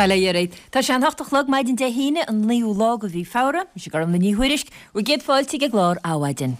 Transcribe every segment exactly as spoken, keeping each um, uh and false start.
Bail ó Dhia oraibh. Tá sé an hocht a chlog maidin Dé hAoine an naoú lá de mhí Feabhra, mise Gormlaith Ní Thuairisg, bhur gcéad fáilte ag an gclár Adhmhaidin.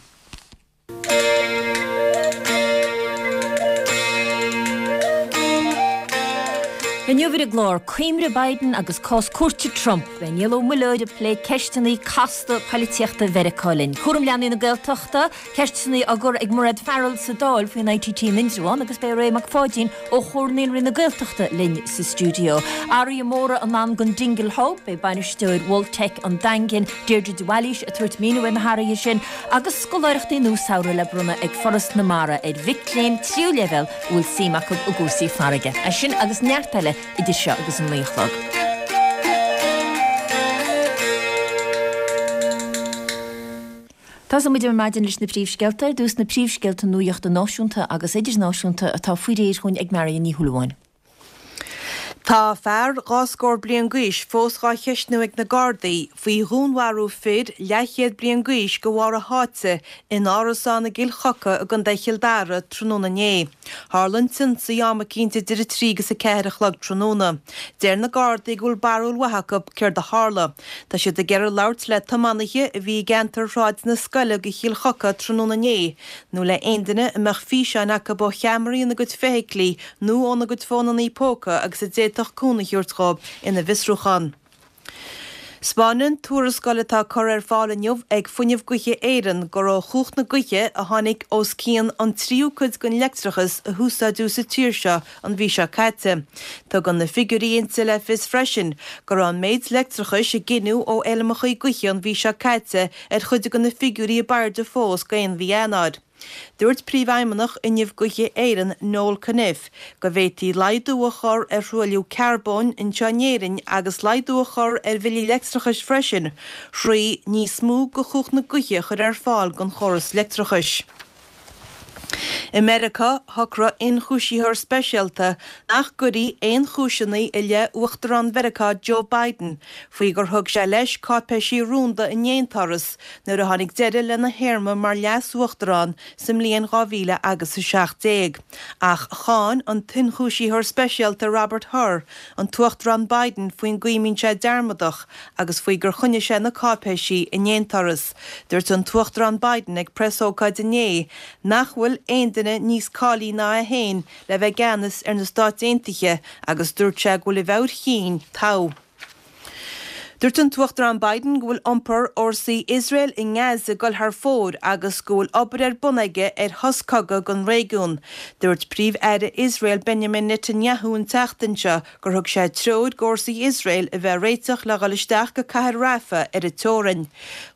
Inniu ar an gclár, Coimre Biden agus cás cúirte Trump. Beidh Niall Ó Muilleoir ag plé ceisteanna casta poilitíochta Mheiriceá linn. Cúram leanaí na Gaeltachta, ceisteanna á gcur ag Mairéad Farrell sa Dáil faoin ITT in Indreabhán agus beidh Ray Mac Pháidín ó Chomhar Naíonraí na Gaeltachta linn sa stiúideo. Athruithe móra i ndán don Dingle Hub, beidh bainisteoir Mholtec an Daingin, Deirdre de Bhailís ag tabhairt míniú ar na hathruithe sin agus scoláireachtaí nua samhraidh le bronnadh ag Foras na Mara ar mhic léinn tríú leibhéal a bhfuil suim acu i gcúrsaí farraige. É sin agus neart eile idir seo agus an naoi a chlog. Tosóidh muid ar maidin leis na príomhscéalta, ar dtús na príomhscéalta nuachta náisiúnta agus idirnáisiúnta atá faoi réir chugainn ag Marion Ní Shúilleabháin. Tá fear dhá scór bliain d'aois fós dhá cheistniú ag na Gardaí faoi dhúnmharú fir leathchéad bliain d'aois de bharr a sháite in árasán i gCill Choca i gContae Chill Dara tráthnóna inné. Tharla an t-ionsaí am eicínt idir a trí agus a ceathair a chlog tráthnóna. Deir na Gardaí go bhfuil barúil mhaith acu céard a tharla. Tá siad ag iarraidh labhairt le tiománaithe a bhí i gceantar Shráid na Scoile de Chill Choca tráthnóna inné nó le aon duine a mbeadh físeáin acu ó cheamaraí ina gcuid feithiclí nó óna gcuid fónannaí póca agus a d'fhéadfadh cúnamh a thabhairt dhóibh ina bhfiosrúchán. 'Spáineann tuarascáil atá curtha ar fáil inniu ag Fuinneamh Gaoithe Éireann gur ó chumhacht na gaoithe a tháinig os cionn an tríú cuid den leictreachas a húsáideadh sa tír seo an mhí seo caite. Tugann na figiúirí inti le fios freisin go raibh an méid leictreachais a gineadh ó fheilmeacha gaoithe an mhí seo caite ar chuid de na figiúirí ab airde fós d'aon mhí Eanáir. Dúirt Príomhfheidhmeannach Fhuinneamh Gaoithe Éireann, Noel Cunniffe, go bhféadfaí laghdú a chur ar thruailliú carbóin anseo in Éirinn agus laghdú a chur ar bhillí leictreachais freisin thrí níos mó de chumhacht na gaoithe a chur ar fáil don chóras leictreachais. I Meiriceá, shocraigh ionchúisitheoir speisialta nach gcuirfí aon chúiseanna i leith Uachtarán Mheiriceá Joe Biden faoi gur thug sé leis cáipéisí rúnda in aonturas nuair a tháinig deireadh lena théarma mar leas-uachtarán sa mbliain dhá mhíle agus a seacht déag. Ach cháin an t-ionchúisitheoir speisialta Robert Hur an tUachtarán Biden faoin gcaoi a mbíonn sé dearmadach agus faoi gur choinnigh sé na cáipéisí in aonturas. Dúirt an tUachtarán Biden ag preasócáid inné nach bhfuil aon duine níos cáilí ná é féin le bheith i gceannas ar na Stáit Aontaithe agus dúirt sé go bhfuil a mheabhair chinn togha. Dúirt an tUachtarán Biden go bhfuil iompar fhórsaí Iosrael i nGaza ag dul thar fóir agus go bhfuil obair ar bun aige ar shos cogaidh don réigiún. Dúirt Príomh-Aire Iosrael Benjamin Netanyahu an tseachtain seo gur thug sé treoir d'fhórsaí Iosrael a bheith réiteach le dhul isteach go cathair Rafah ar an teorainn.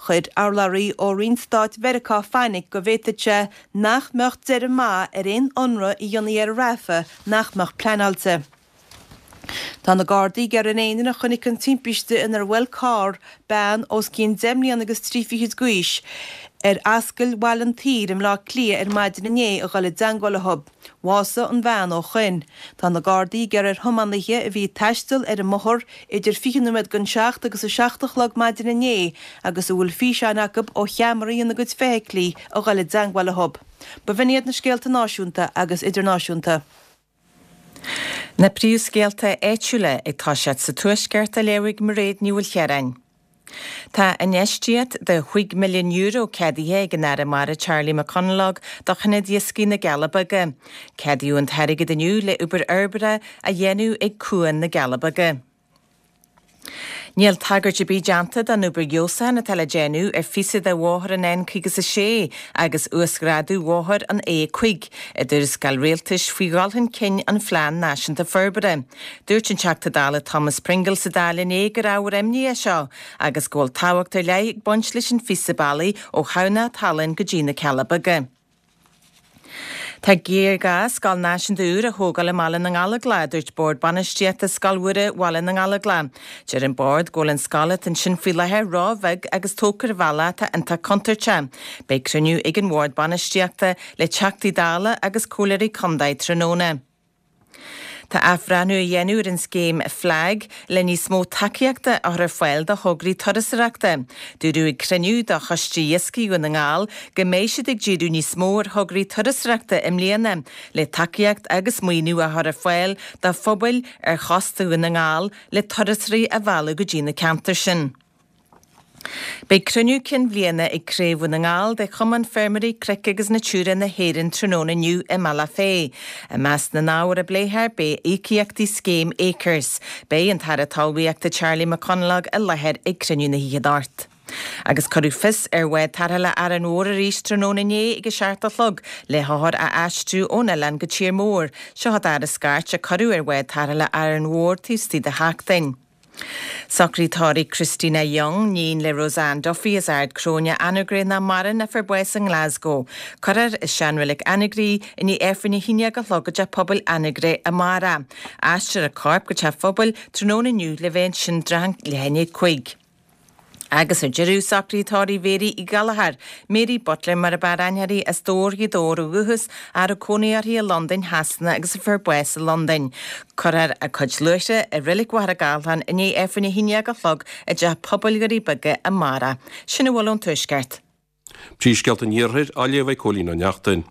Chuir urlabhraí ó roinnt stáit Mheiriceá fainic go bhféadfadh sé nach mbeadh deireadh maith ar aon ionradh a dhéanfaí ar Rafah nach mbeadh pleanáilte. Tá na Gardaí ag iarraidh ar aon duine a chonaic an timpiste inar bhuail carr bean os cionn deich mbliana agus trí fichid d'aois ar Ascaill Bhaile an tSaoir i mBleá Cliath ar maidin inné a dhul i dteangmháil leo. Bhásaigh an bhean ó shoin. Tá na Gardaí ag iarraidh ar thiománaithe a bhí ag taisteal ar an mbóthar idir fiche nóiméad don seacht agus a seacht a chlog maidin inné agus a bhfuil físeáin acu ó cheamaraí ina gcuid feithiclí a dhul i dteangmháil leo. B'in iad na scéalta náisiúnta agus idirnáisiúnta. Na príomhscéalta áitiúla ag toiseacht sa Tuaisceart á léamh ag Mairéad Ní Mhaoilchiaráin. Tá infheistíocht de chúig milliún euro ceadaithe ag an Aire Mara Charlie McConalogue do Ionad Iascaigh na gCealla Beaga. Ceadaíodh an t-airgead inniu le obair fhorbartha a dhéanamh ag Cuan na gCealla Beaga. Níl tagairt ar bith déanta don obair fheabhsúcháin atá le déanamh ar phíosa de bhóthar an N caoga is a sé agus uasghrádú bhóthar an A cúig i dtuarascáil rialtais faoi dhul chun cinn an Phlean Náisiúnta Forbartha. Dúirt an Teachta Dála Thomas Pringle sa Dáil inné gur ábhar imní é seo agus go bhfuil tábhacht ar leith ag baint leis an phíosa bealaigh ó Thamhnach Tallann go dtí na Cealla Beaga. Tá géarghá scoil náisiúnta úr a thógáil i mBaile na nGallóglach, a dúirt Bord Bainistíochta Scoil Mhuire Bhaile na nGallóglach. Deir an Bord go bhfuil an scoil atá ansin faoi láthair ró-bheag agus tógtha ar bhealach atá iontach contúirteach. Beidh cruinniú ag an Bhord Bainistíochta le Teachtaí Dála agus Comhairleoirí Contae tráthnóna. Tá athbhreithniú á dhéanamh ar an scéim FLAG le níos mó tacaíochta a chur ar fáil do thograí turasóireachta. Dúradh ag cruinniú de Choiste Iascaigh Dhún na nGall go mbeidh siad ag díriú níos mó ar thograí turasóireachta i mbliana le tacaíocht agus maoiniú a chur ar fáil do phobail ar chósta Dhún na nGall le turasóirí a mhealladh go dtí na ceantair sin. Beidh cruinniú cinn bhliana ag Craobh Dhún na nGall de Chumann Feirmeoirí Cnoic agus Natura na hÉireann tráthnóna inniu i mBealach Féich. I measc na n-ábhar a bpléifear beidh íocaíochtaí scéim Acres. Beidh an tAire Talmhaíochta Charlie McConalogue i láthair ag cruinniú na hoíche anocht. Agus cuireadh fios ar bhád tarrthála Árainn Mhór arís tráthnóna inné ag a seacht a chlog le hothair a aistriú ón oileán go tír mór. Seo an dara scairt a cuireadh ar bhád tarrthála Árainn Mhór taobh istigh de sheachtain. Socraí tórraimh Christina Young, níon le Roseanne Duffy as Ard Cróine Anagaire nach maireann a fuair bás i nGlasgow. Cuirfear i seanreilig Anagaire í i ndiaidh Aifreann a haon déag a chlog i dteach pobail Anagaire amárach. Aistreofar a corp go teach pobail tráthnóna inniu le bheith ansin leath i ndiaidh a cúig. Agus ar deireadh socruithe tórraimh Mhéirí Uí Ghallchóir, Mary Butler mar ab fhearr aithne uirthi as Dobhar Ghaoth Dobhair ó dhúchas a raibh cónaí uirthi i Londain, Shasana agus a fuair bás i Londain. Cuirfear a cuid luaithre i reilig Mhachaire Gathlán i ndiaidh Aifreann a haon déag a chlog i dteach pobail Dhoirí Beaga amárach. Sin a bhfuil ón Tuaisceart. Príomhscéalta an Iarthair á léamh ag Cóilín Ó Neachtain.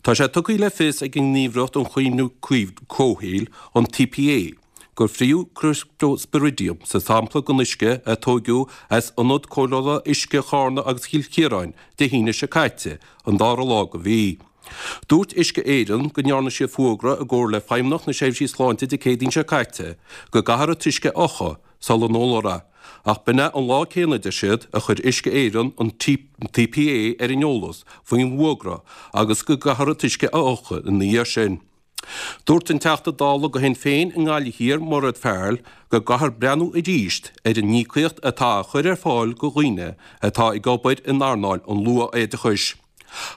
Tá sé tugtha le fios ag an nGníomhaireacht um Chaomhnú Comhshaoil, an T P A, gur fríothadh Cryptosporidium sa sampla den uisce a tógadh as ionad cóireála uisce Charna agus Chill Chiaráin Dé hAoine seo caite, an dara lá den mhí. Dúirt Uisce Éireann go ndearna siad fógra i gcomhar le Feidhmeannacht na Seirbhísí Sláinte Dé Céadaoin seo caite go gcaithfear an t-uisce a fhiuchadh sula n-ólfar é, ach b'in é an lá céanna deir siad a chuir Uisce Éireann an T P A ar an eolas faoin bhfógra agus go gcaithfear an t-uisce a fhiuchadh ina dhiaidh sin. Dúirt an Teachta Dála do Shinn Féin i nGaillimh Thiar Mairéad Farrell go gcaithfear breathnú arís ar an íocaíocht atá á chur ar fáil do dhaoine atá ag obair in earnáil an luath-oideachais.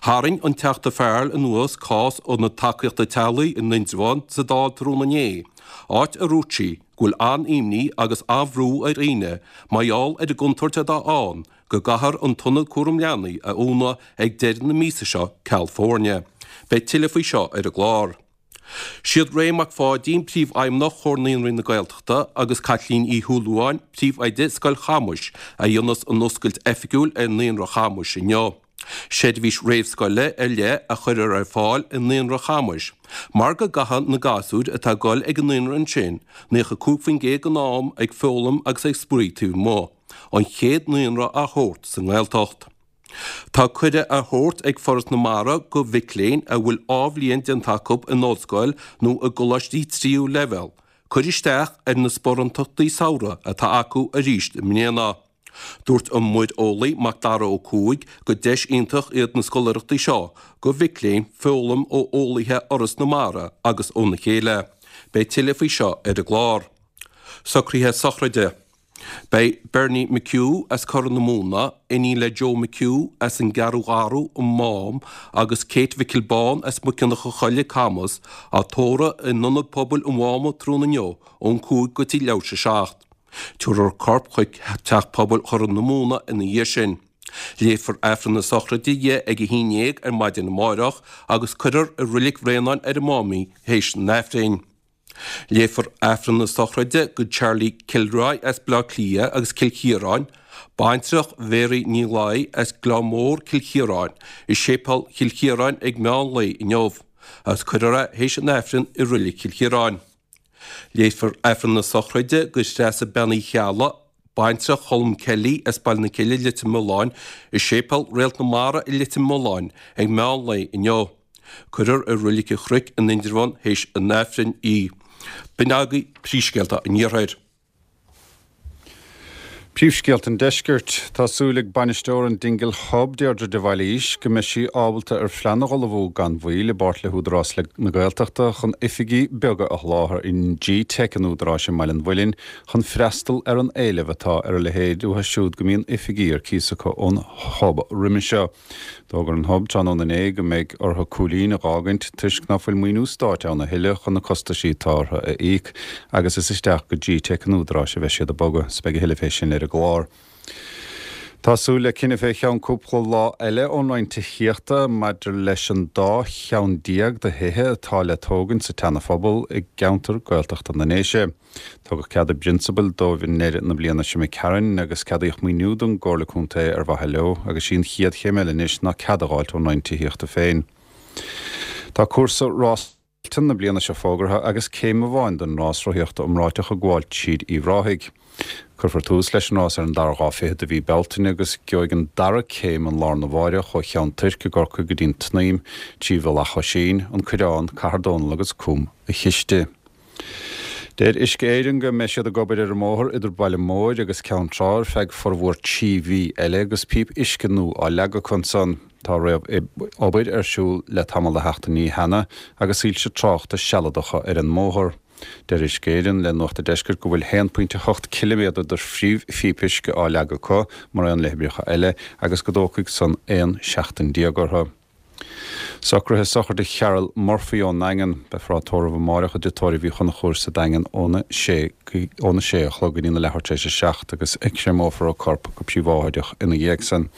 Tharraing an Teachta Farrell anuas cás Ionad Tacaíochta Teaghlaigh in Indreabhán sa Dáil tráthnóna inné, áit a dúirt sí go bhfuil an-imní agus an-bhrú ar dhaoine mar gheall ar an gcontúirt atá ann go gcaithfear an t-ionad cúram leanaí a dhúnadh ag deireadh na míosa seo ceal foirne. Beidh tuilleadh faoi seo ar an gclár. Siad Ray Mac Pháidín príomhfheidhmeannach Chomhar Naíonraí na Gaeltachta agus Caitlín Uí Shúilleabháin príomhoide Scoil Chamuis a dhéanfas an oscailt oifigiúil ar Naíonra Chamuis inniu. Seirbhís réamhscoile ar leith a chuirfear ar fáil i Naíonra Chamuis, mar go gcaitheann na gasúir atá ag dul ag an naíonra ansin naocha cúig faoin gcéad den am ag foghlaim agus ag spraoi taobh amuigh, an chéad naíonra dá shórt sa nGaeltacht. Tá cuireadh á thabhairt ag Foras na Mara do mhic léinn a bhfuil dhá bhliain déanta acu in ollscoil nó i gcoláistí tríú leibhéal, cur isteach ar na sparántachtaí samhraidh atá acu arís i mbliana. Dúirt an muireolaí Mac Dara Ó Cuaig gur deis iontach iad na scoláireachtaí seo do mhic léinn foghlaim ó eolaithe Fhoras na Mara agus óna chéile. Beidh tuilleadh faoi seo ar an gclár. Socruithe sochraide. Beidh Bernie McHugh as Corr na Móna, iníon le Joe McHugh as an gCeathrú Gharbh an Mám agus Kate Mhicil Bán as Muiceanach a Choille Camas á tórramh in ionad pobail an Mháma tráthnóna inniu ón cúig go dtí leathuair tar éis a seacht. Tabharfar a corp chuig teach pobail Chorr na Móna ina dhiaidh sin. Léifear Aifreann na sochraide di ag a haon déag ar maidin amárach agus cuirfear i Reilig Bhréanainn ar an Mám í théis an Aifrinn. Léifear Aifreann na sochraide do Charlie Kilroy as Bleá Cliath agus Cill Chiaráin, baintreach Mhéaraí Ní Laoi as Gleann Mór Cill Chiaráin, i Séipéal Chill Chiaráin ag meán lae inniu, agus cuirfear é théis an Aifrinn i Reilig Chill Chiaráin. Léifear Aifreann na sochraide do Threasa Bean Uí Cheallaigh, baintreach Cholm Kelly as Baile na Cille Leitir Mealláin i Séipéal Réalt na Mara i Leitir Mealláin ag meán lae inniu. Cuirfear i Reilig an Chnoic in Indreabhán théis an Aifrinn í. B'in agaibh príomhscéalta an Iarthair. Príomhscéalta an Deiscirt. Tá súil ag bainisteoir an Dingle Hub Deirdre de Bhailís go mbeidh sí ábalta ar phlean a ullmhú gan mhoill i bpáirt le hÚdarás na Gaeltachta chun oifigí beaga a sholáthar in G-Tech an Údaráis i mBaile an Mhuilinn chun freastal ar an éileamh atá ar a leithéid uathu siúd go mbíonn oifigí ar cíos acu ón Hub roimhe seo. D'fhógair an Hub tráthnóna inné go mbeidh orthu cúilín a dh'fhágaint toisc nach bhfuil maoiniú stáit ann a thuilleadh chun na costaisí atá orthu a íoc agus is isteach go G-Tech an Údaráis a bheidh siad ag bogadh, 's beidh a thuilleadh fé sin ar an gclár. Tá súil le cinneadh fé cheann cúpla lá eile ón Roinn Tithíochta maidir leis an dá cheann déag de thithe atá le tógaint sa tSeana-Phobal i gceantar Gaeltachta na nDéise. Tugadh cead i bprionsabal dóibh i ndeireadh na bliana seo imigh tharainn agus ceadaíodh maoiniú don gComhairle Contae ar mhaithe leo agus sí an chéad chéim eile anois ná cead a fháilt ón Roinn Tithíochta féin. Tá cúrsa Rás Tailteann na bliana seo fógartha agus céim amháin den rás rothaíochta iomráiteach ag gabháil tríd Uíbh Ráthaigh. Cuirfear tús leis an rás ar an dara lá fichead de mhí Bealtaine agus gheobhaidh an dara céim an lá arna mháireach ó Cheann Toirc i gCorcaigh go dtí an tSnaidhm trí Mhullach Oisín, An Coireán, Cathair Dónall agus Cúm a' Chiste. Deir Uisce Éireann go mbeidh siad ag obair ar an mbóthar idir Baile Móir agus Ceann Trá ar feadh formhór trí mhí eile agus píopa uisce nua á leagadh acu ansan. Tá réamh-obair ar siúl le tamall de sheachtainí cheana agus soilse tráchta sealadacha ar an mbóthar. Deir Uisce Éireann le Nuacht an Deiscirt go bhfuil haon pointe hocht ciliméadar de phríomhphíopa uisce á leagadh acu, mar aon le hoibreacha eile, agus go dtógfaidh san aon seachtain déag orthu. Socruithe sochraide Cheryl Murphy ón nDaingean. Beifear á tórramh amáireach i dTigh Tórraimh Uí Chonchúir sa Daingean óna sé óna sé a chlog go dtí na leathuair tar éis a seacht agus créamófar a corp go príobháideach ina dhiaidh san.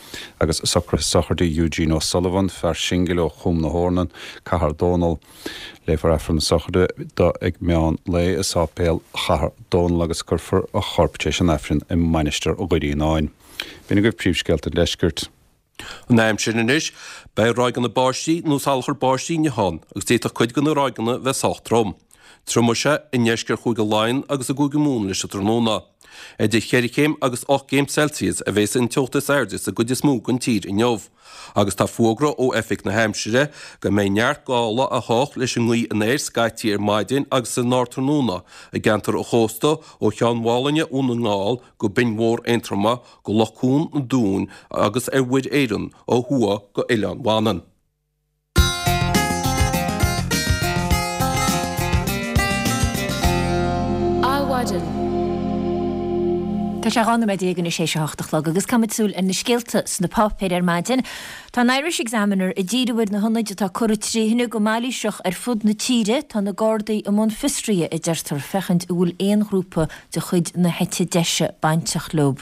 Agus socruithe sochraide Eugene O'Sullivan, fear singil ó Chúm na hEornan, Cathair Dónall. Léifear Aifreann na sochraide do ag meán lae i Sáipéal Chathair Dónall agus cuirfear a chorp tar éis an Aifrinn i Mainistir Dhoire Fhíonáin. B'in agaibh príomhscéalta an Deiscirt. An aimsir anois, beidh ráigeanna báistí nó salachar báistí inniu ann agus d'fhéadfadh cuid de na ráigeanna bheith sách trom. Triomóidh sé i ndeisceart Chúige Laighean agus i gCúige Mumhan leis an tráthnóna. Idir cheithre chéim agus ocht gcéim Celsius a bheas an teocht is airde sa gcuid is mó den tír inniu. Agus tá fógra ó Oifig na hAimsire go mbeidh neart gála á thiomáint leis an ngaoth anoir scaití ar maidin agus san ardtráthnóna i gceantar an chósta ó Cheann Mhálainne Dhún na nGall go Binn Mhór Aontroma go Loch Cuan an Dúin agus ar Mhuir Éireann ó thuaidh go Oileán Mhanann. Adhmhaidin. Tá sé dhá nóiméad déag anois théis a hocht a chlog agus caithfimid súil ar na scéalta sna páipéir ar maidin. Tá an Irish Examiner ag díriú ar na hionaid atá curtha trí thine go mailíseach ar fud na tíre. Tá na Gardaí i mbun fiosraithe, a deirtear, féachaint an bhfuil aon ghrúpa de chuid na heite deise bainteach leo.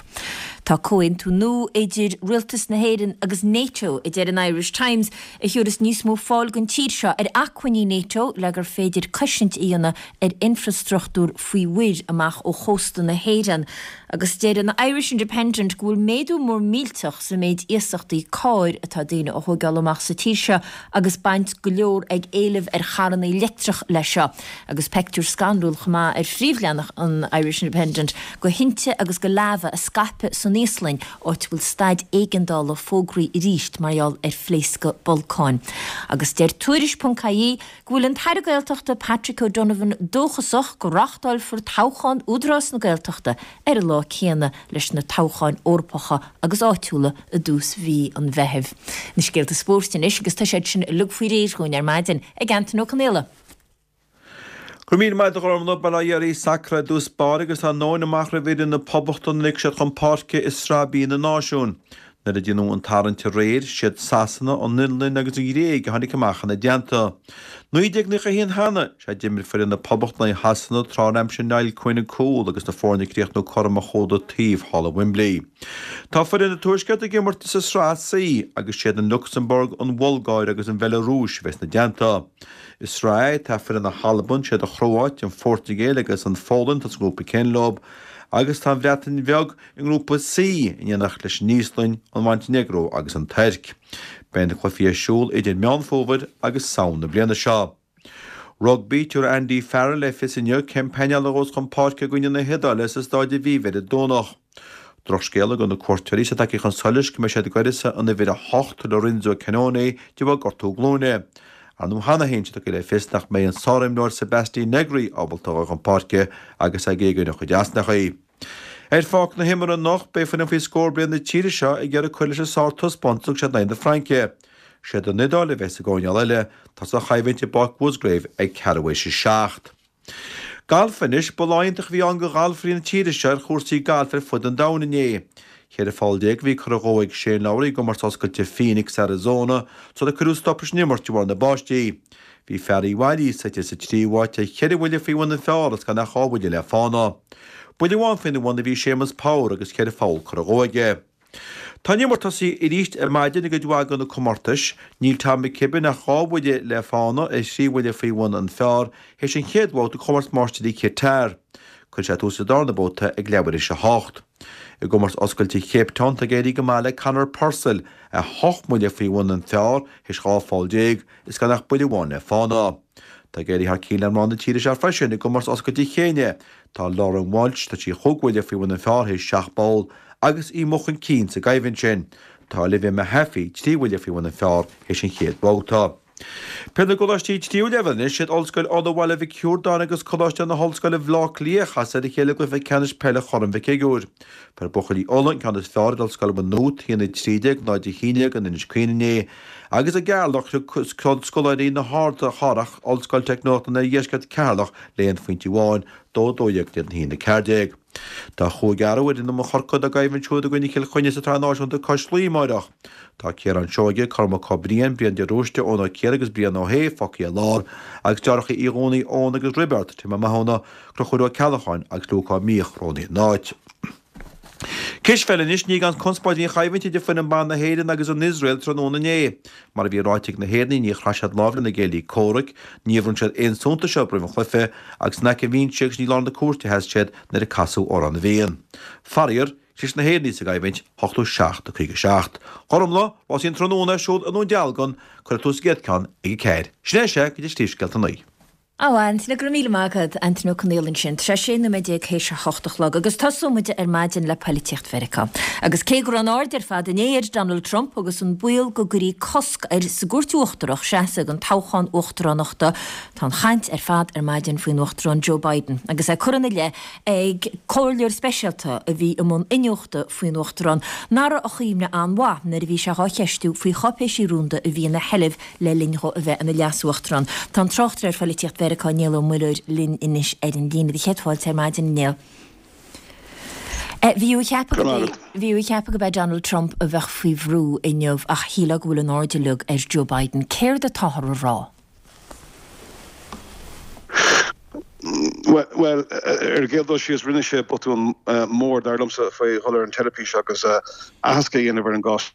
Tá comhaontú nua idir Rialtas na hÉireann agus NATO, a deir an Irish Times, a thiúrfas níos mó fáil don tír seo ar acmhainní NATO le gur féidir cosaint a dhéanamh ar infreastruchtúr faoi mhuir amach ó chósta na hÉireann. Agus deir an Irish Independent go bhfuil méadú mór millteach sa méid iasachtaí cairr atá daoine a thógáil amach sa tír seo agus baint go leor ag éileamh ar charranna leictreach leis seo. Agus peictiúr scanrúil chomh maith ar phríomhleathanach an Irish Independent de thinte agus de lava a scaipeadh san Íoslainn, áit a bhfuil staid éigeandála fógraithe arís mar gheall ar phléascadh bolcáin. Agus deir Tuairisc ponc ie go bhfuil an tAire Gaeltachta Patrick O'Donovan dóchasach go reáchtálfar toghchán Údarás na Gaeltachta ar an lá céanna leis na toghcháin Eorpacha agus áitiúla i dtús mhí an Mheithimh. Na scéalta spóirt anois agus tá siad sin uilig faoi réir dhúinn ar maidin ag Antain Ó Conaola. Go raibh míle maith agat a Ghormfhlaith, bail ó Dhia oraibh, sacar i dtús báire agus tá an nóin amach roimh fhoireann na Poblachta nuair a thiocfaidh siad chun páirce i Sraith B na Náisiún. Nuair a déanadh an tarraingt aréir, siad Sasana, an Fhionlainn agus an Ghréig a tháinig amach ina dteannta. Naoi déag nócha a haon cheana, sea d'imir foireann na Poblachta in aghaidh Shasana tráth ar aimsigh Niall Quinn an cúl agus na foirne ag críochnú cothrom ar chomhda taobh thall i Wembley. Tá foireann an Tuaiscirt ag imirt sa Sraith C agus siad an Lucsamburg, an Bhulgáir agus an Bheilearúis a bheas ina dteannta. I Sraith A tá foireann na hAlban, siad an Chróáit, an Phortaingéil agus an Pholainn atá sa ngrúpa céanna leo agus tá an Bhreatain Bheag i ngrúpa C in éineacht leis an Íoslainn, an Mhontainéagró agus an Tuirc. Beidh na cluichí ar siúl idir Meán Fómhair agus Samhain na bliana seo. Rugbaí, Tabharfaidh Andy Farrell le fios inniu cén painéal a ghabhfas chun páirce i gcoinne na hIodáile sa Stáid Aviva ar an Domhnach. Drochscéala do na cuairteoirí is é tagtha chun solais go mbeidh siad ag uireasa an uimhir a hocht, Lorenzo Cannone, de bharr gortú glúine. Ar ndóigh cheana féin tá sé tugtha le fios nach mbeidh an sárimreoir Sebastien Negri ábalta a dhul chun páirce agus é ag éagóir a chuid easnachaí. Ar pháirc na himeartha anocht beidh foireann faoi scór bliain na tíre seo ag iarraidh cur leis an sártaispeántas a thug siad in aghaidh na Fraince. Siad an Iodáil a bheas i gcoirnéal eile. Tá an choimhlint i bPáirc Mhusgrave ag ceathrú théis a seacht. Galf anois, ba lá iontach a bhí ann do ghalfairí na tíre seo ar chúrsaí gailf ar fud an domhain inné. Ceithre pholl déag a bhí curtha dhó ag Shane Lowry i gcomórtas oscailte Phoenix, Arizona, sular cuireadh stop leis an imirt de bharr na báistí. Bhí fear Uíbh Fhailí suite sa tríú háit ar cheithre bhuille faoi bhun an phar agus gan ach dhá bhuille le fána. Buille amháin faoina bhun a bhí Séamus Power agus ceithre pholl curtha dhó aige. Tá an imirt tosaithe arís ar maidin i gcuid mhaith de na comórtais. Níl Tom McKibbin ach dhá bhuille le fána, é trí bhuille faoi bhun an phar, théis an chéad bhabhta de Chomórtas Máistirí Qatar. Cuirfidh sé tús sa darna babhta ag leathuair théis a hocht. I gcomórtas oscailte Cape Town tá ag éirí go maith le Conor Purcell, é hocht mbuille faoi bhun an phar théis dhá pholl déag is gan ach buille amháin le fána. Tá ag éirí thar cionn le mná na tíre seo freisin i gcomórtas oscailte Chéinia. Tá Lauren Walsh, tá sí chúig bhuille faoi bhun an phar théis seacht bpoll agus í amuigh chun cinn sa gcoimhlint sin. Tá Olivia Mehaffey trí bhuille faoi bhun an phar théis an chéad bhabhta. Peil na gColáistí Tríú Leibhéal anois, siad Ollscoil Uladh Bhaile Mhic Shiúrdáin agus Coláiste na hOllscoile Bhaile Átha Cliath a chas ar a chéile i gcluiche ceannais peile Chorn Mhic Shigiúir. Fuair buachaillí Uladh an ceann is fearr ar Ollscoil Mhaigh Nuad, a haon a trí déag, náid a haon déag in Inis Caoin inné agus i gCeatharlach throid scoláirí na hArdchathrach Ollscoil Teicneolaíochta an Oirdheiscirt Ceatharlach le haon phointe amháin, dó a dó dhéag in éadan a haon a ceathair déag. Tá chúig athrú ar fhoireann Chorcaí dá gcoimhlint siúd i gcoinne Chill Chainnigh sa tSraith Náisiúnta cois Laoi amáireach. Tá Ciarán Seoige, Cormac Ó Briain, Brian de Róiste, Eoin Ó Ciardha agus Brian Ó hAodha fágtha ar lár agus deartháireacha Uí Dhomhnaill, Eoin agus Roibeard, Tim Ó Mathúna, Conchúr Ó Ceallacháin agus Luke Ó Míoch roghnaithe ina n-áit. Cispheil anois, ní gan conspóid a bhí an choimhlint idir foireann ban na hÉireann agus an Iosrael tráthnóna inné. Mar a bhí ráite ag na hÉireannaigh, níor chraith siad lámh lena gcéilí comhraic, níor bhronn siad aon suntas orthu roimh an chluiche agus in aice an bhinse agus ní i lár na cúirte a sheas siad nuair a casadh Amhrán na bhFiann. Faraor, chlis na hÉireannaigh sa gcoimhlint, ochtó seacht a caoga seacht. Gormfhlaith, rásaí an tráthnóna ar siúl i nDún Dealgan, cuirfear tús an gcéad ceann ag a ceathair. Sin é sea go dtí scéalta a naoi. Á, Antaine, go raibh míle maith agat, Antaine Ó Conghaile ansin. Tá sé sé nóiméad déag théis a hocht a chlog agus tosóidh muid ar maidin le poilitíocht Mheiriceá. Agus cé go raibh an aird ar fad inné ar Donald Trump agus an baol go gcuirfí cosc air sa gcúirt uachtarach seasamh don toghchán uachtaránachta, tá an chaint ar fad ar maidin faoin Uachtarán Joe Biden agus é curtha ina leith ag comhairleoir speisialta a bhí i mbun iniúchta faoin Uachtarán nach raibh a chuimhne an-mhaith nuair a bhí sé dhá cheistiú faoi cháipéisí rúnda a bhí ina sheilbh le linn dhó a bheith ina leas-uachtarán. Tá an tráchtaire ar phoilitíocht Mheiriceá Niall Ó Muilleoir linn anois ar an líne. Do chéad fáilte ar maidin, a Néill. Bhí tú ag ceapadh go bhí tú ag ceapadh gurb é Donald Trump a bheadh faoi bhrú inniu ach shílfeá go bhfuil an aird uilig ar Joe Biden. Céard atáthar a rá? Bhuel, ar an gcéad dul síos, rinne sé botún mór, dar liomsa, faoi dhul ar an teilifís agus aitheasc a dhéanamh ar an gcás.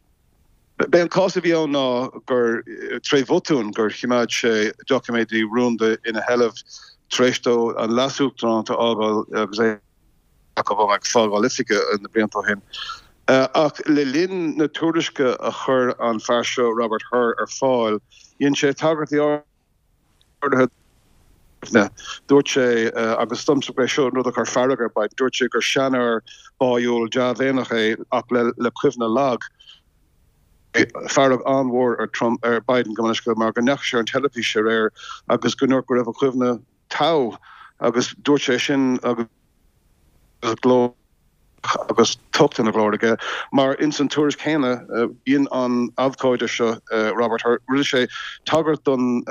B'é an cás a bhí ann ná gur tré bhotún gur choimeád sé doiciméidí rúnda ina sheilbh tar éis dó an leasuachtaránacht a fhágáil agus é ag fágáil oifige na blianta ó shin. Ach le linn na tuairisce a chuir an fear seo, Robert Hur, ar fáil, dhein sé tagairtí áirithe. Dúirt sé, agus is domsa gurb é seo an rud a chuir fearg ar Biden, dúirt sé gur seanfhear báiúil dea-mhéineach é ach le cuimhne lag. Fearg an-mhór ar Trump, ar Biden gabh mo leithscéal, mar go ndeachaigh sé ar an teilifís aréir agus go ndúirt go raibh a chuimhne togha agus dúirt sé sin agus glór agus tocht ina ghlór aige mar ins an tuairisc chéanna dhein an abhcóide seo Robert Hur, rinne sé tagairt don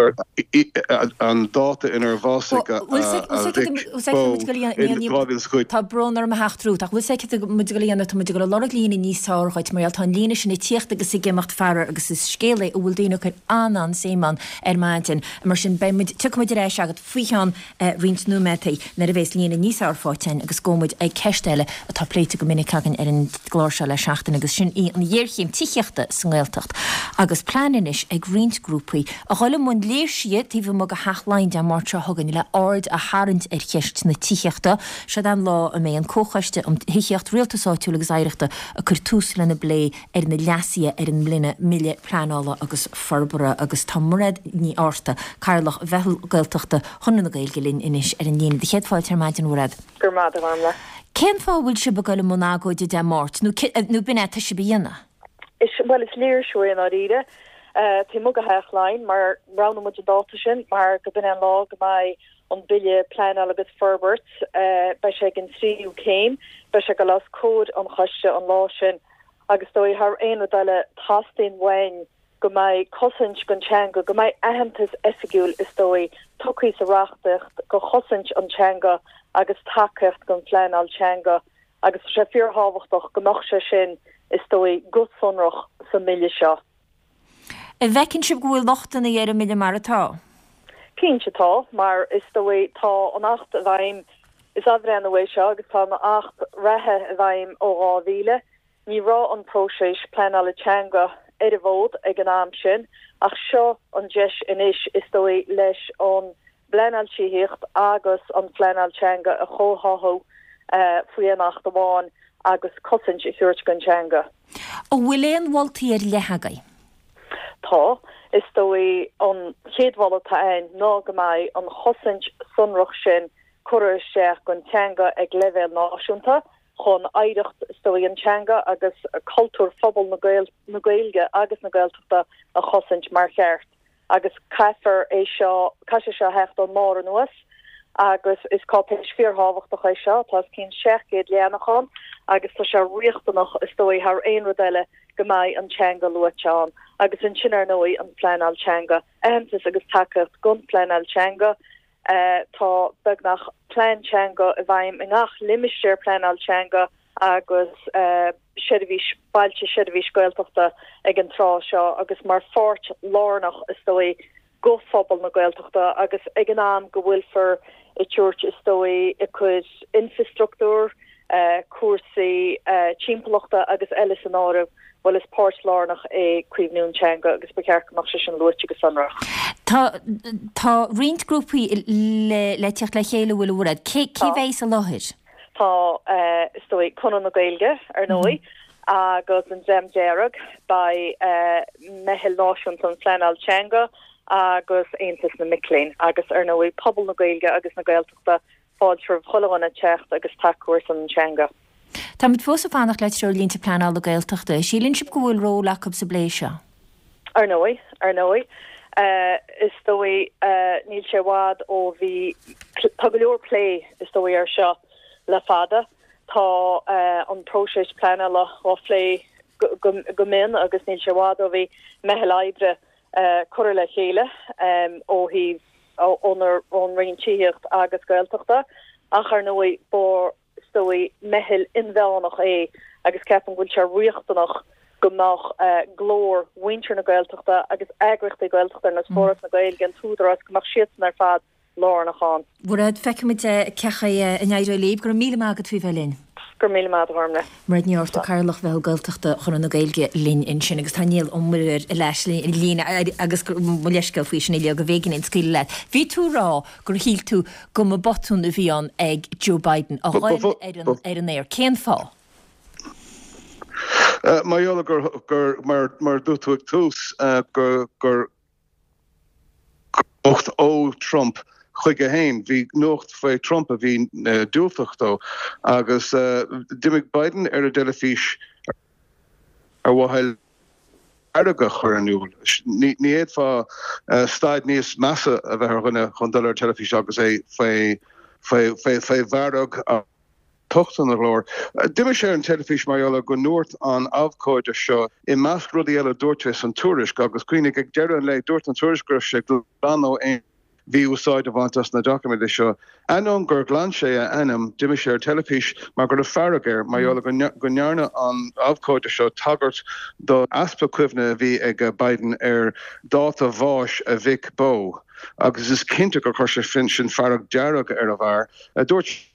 an dáta inar bhásaigh a mhic Beau in dhá mhíle is a cúig. Tá brón orm a theacht romhat, ach bhfuil 's agat céard atá muid ag dul a dhéanamh, tá muid ag dul a lorg líne níos fearr dhuit mar gheall tá an líne sin ag tíocht agus ag imeacht faraor agus is scéal é a bhfuil daoine ag cur an-an-suim ann ar maidin. Mar sin beidh muid, tiocfaidh muid ar ais agat faoi cheann roinnt nóiméadaí nuair a bhéas líne níos fearr faighte againn agus gabhfaidh muid ag ceist eile atá pléite go minic againn ar an gclár seo le seachtain agus sin í an ghéarchéim tithíochta sa nGaeltacht agus plean anois ag roinnt grúpaí a dhul i mbun léirsithe taobh amuigh de Theach Laighean Dé Máirt seo chugainn le aird a tharraingt ar cheist na tithíochta. Seod é an lá a mbeidh an Comhchoiste um Thithíocht, Rialtas Áitiúil agus Oidhreachta ag cur tús lena bplé ar na leasuithe ar an mBille Pleanála agus Forbartha agus tá Mairéad Ní Fhátharta, Cathaoirleach Mheitheal Gaeltachta Chonradh na Gaeilge linn anois ar an líne. Do chéad fáilte ar maidin, a Mhairéad. Go raibh maith agat, a Ghormfhlaith. Cén fáth a bhfuil sibh ag dul i mbun agóide Dé Máirt, nó nó b'in é atá sibh a dhéanamh? Is, bhuel, is léirsiú é i ndáiríre, taobh amuigh de Theach Laighean, mar roghnaigh muid an dáta sin mar go b'in é an lá go mbeidh an Bille Pleanála agus Forbairt, beidh sé ag an tríú céim, beidh sé ag dul os comhair an choiste an lá sin agus is dóigh thar aon rud eile teastaíonn uainn go mbeidh cosaint don teanga, go mbeidh aitheantas oifigiúil is dóigh tugtha sa reachtaíocht go chosaint an teanga agus tacaíocht don phleanáil teanga agus tá sé fíorthábhachtach go mbeadh sé sin is dóigh go sonrach sa mBille seo. An bhfeiceann sibh go bhfuil lochtanna ar an mBille mar atá? Cinnte tá, mar is dóigh tá an Acht i bhfeidhm, is athbhreithniú é seo agus tá an Acht reatha i bhfeidhm ó dhá mhíle. Ní raibh an próiseas pleanála teanga ar an bhfód ag an am sin, ach seo an deis anois is dóigh leis an bpleanáil tithíochta agus an phleanáil teanga a chomhtháthú faoi aon acht amháin agus cosaint a thabhairt don teanga. An bhfuil aon mholtaí ar leith agaibh? Tá. Is dóigh an chéad mholadh atá ann ná go mbeidh an chosaint sonrach sin curtha isteach don teanga ag leibhéal náisiúnta chun oidhreacht is dóigh an teanga agus cultúr phobal na Gaeilge agus na Gaeltachta a chosaint mar cheart. agus caithfear é seo, caithfidh sé seo a theacht ón mbarr anuas agus is cáipéis fíorthábhachtach é seo, tá os cionn seacht gcéad leathanach ann agus tá sé riachtanach is dóigh thar aon rud eile go mbeidh an teanga luaite ann agus ansin ar ndóigh an phleanáil teanga, aitheantas agus tacaíocht don phleanáil teanga. Tá beagnach plean teanga i bhfeidhm i ngach limistéar pleanáil teanga agus seirbhís bailte seirbhís Gaeltachta ag an tráth seo agus mar pháirt lárnach is dóigh go phobal na Gaeltachta agus ag an am go bhfuilfear ag tabhairt is dóigh ag cur infreastruchtúr, cúrsaí timpeallachta agus eile san áireamh, bhuel is páirt lárnach é caomhnú an teanga agus ba cheart go mbeadh sé sin luaite go sonrach. Tá tá roinnt grúpaí le le teacht le chéile bhfuil a Mhairéad. Cé cé bheidh i láthair? Tá, is dóigh, Conradh na Gaeilge, ar ndóigh, agus an Dream Dearg, beidh Meitheal Náisiúnta um Phleanáil Teanga agus Aontas na Mic Léinn agus, ar ndóigh, pobal na Gaeilge agus na Gaeltachta, fáilte roimh chuile dhuine teacht agus tacú ar son an teanga. Táimid fós ag fanacht le treoirlínte pleanála Gaeltachta. Síleann sibh go bhfuil ról acu sa bplé seo? Ar ndóigh, ar ndóigh. Is dóigh, níl sé i bhfad ó bhí, tá go leor plé, is dóigh, air seo le fada. Tá an próiseas pleanála á phlé go mion agus níl sé i bhfad ó bhí meitheal oibre curtha le chéile ó thaobh ón Roinn Tithíochta agus Gaeltachta ach ar ndóigh ba is dóigh meitheal inmheánach é agus ceapaim go bhfuil sé riachtanach go mbeadh glór mhuintir na Gaeltachta agus eagraíochtaí Gaeltachta ar nós Foras na Gaeilge, an tÚdarás, go mbeadh siadsan ar fad lárnach ann. Mhairéad, feicfimid cén chaoi a n-éireoidh libh. Go raibh míle maith agat faoi bheith linn. Go raibh míle maith agat, a Ghormlaith. Mairéad Ní Fhátharta, Cathaoirleach Mheitheal Gaeltachta Chonradh na Gaeilge linn ansin agus tá Niall Ó Muirthile ar ais linn agus mo leithscéal faoi sin uilig go mb'éigean dom scaoileadh leat. Bhí tú ag rá gur shíl tú go mba botún a bhí ann ag Joe Biden a ghoil ar an aer. Cén fáth? Mar gheall gur, gur, mar, mar a dúirt tú ag tús, gur, gur nuacht ó Trump chuige féin, bhí nuacht faoi Trump a bhí diúltach dó agus d'imigh Biden ar an dteilifís ar mhaithe le fearg a chur in iúl. Ní fhéadfá staid níos measa a bheith ar dhuine chun dul ar an teilifís agus é faoi bhfearg. Tocht ina ghlór. D'imigh sé ar an teilifís mar gheall ar go ndúirt an abhcóide seo, i measc rudaí eile a dúirt sé san tuairisc, agus cuimhnigh, ag deireadh an lae, dúirt an tuairisc go raibh sé glan ó aon mhí-úsáid a bhaint as na doiciméid seo. Ainneoin gur ghlan sé a ainm, d'imigh sé ar teilifís mar go raibh fearg air mar gheall go ndearna an abhcóide seo tagairt do easpa cuimhne a bhí ag Biden ar dáta bháis a mhic Beau agus is cinnte gur chuir sé sin fearg dearg ar an bhfear. Dúirt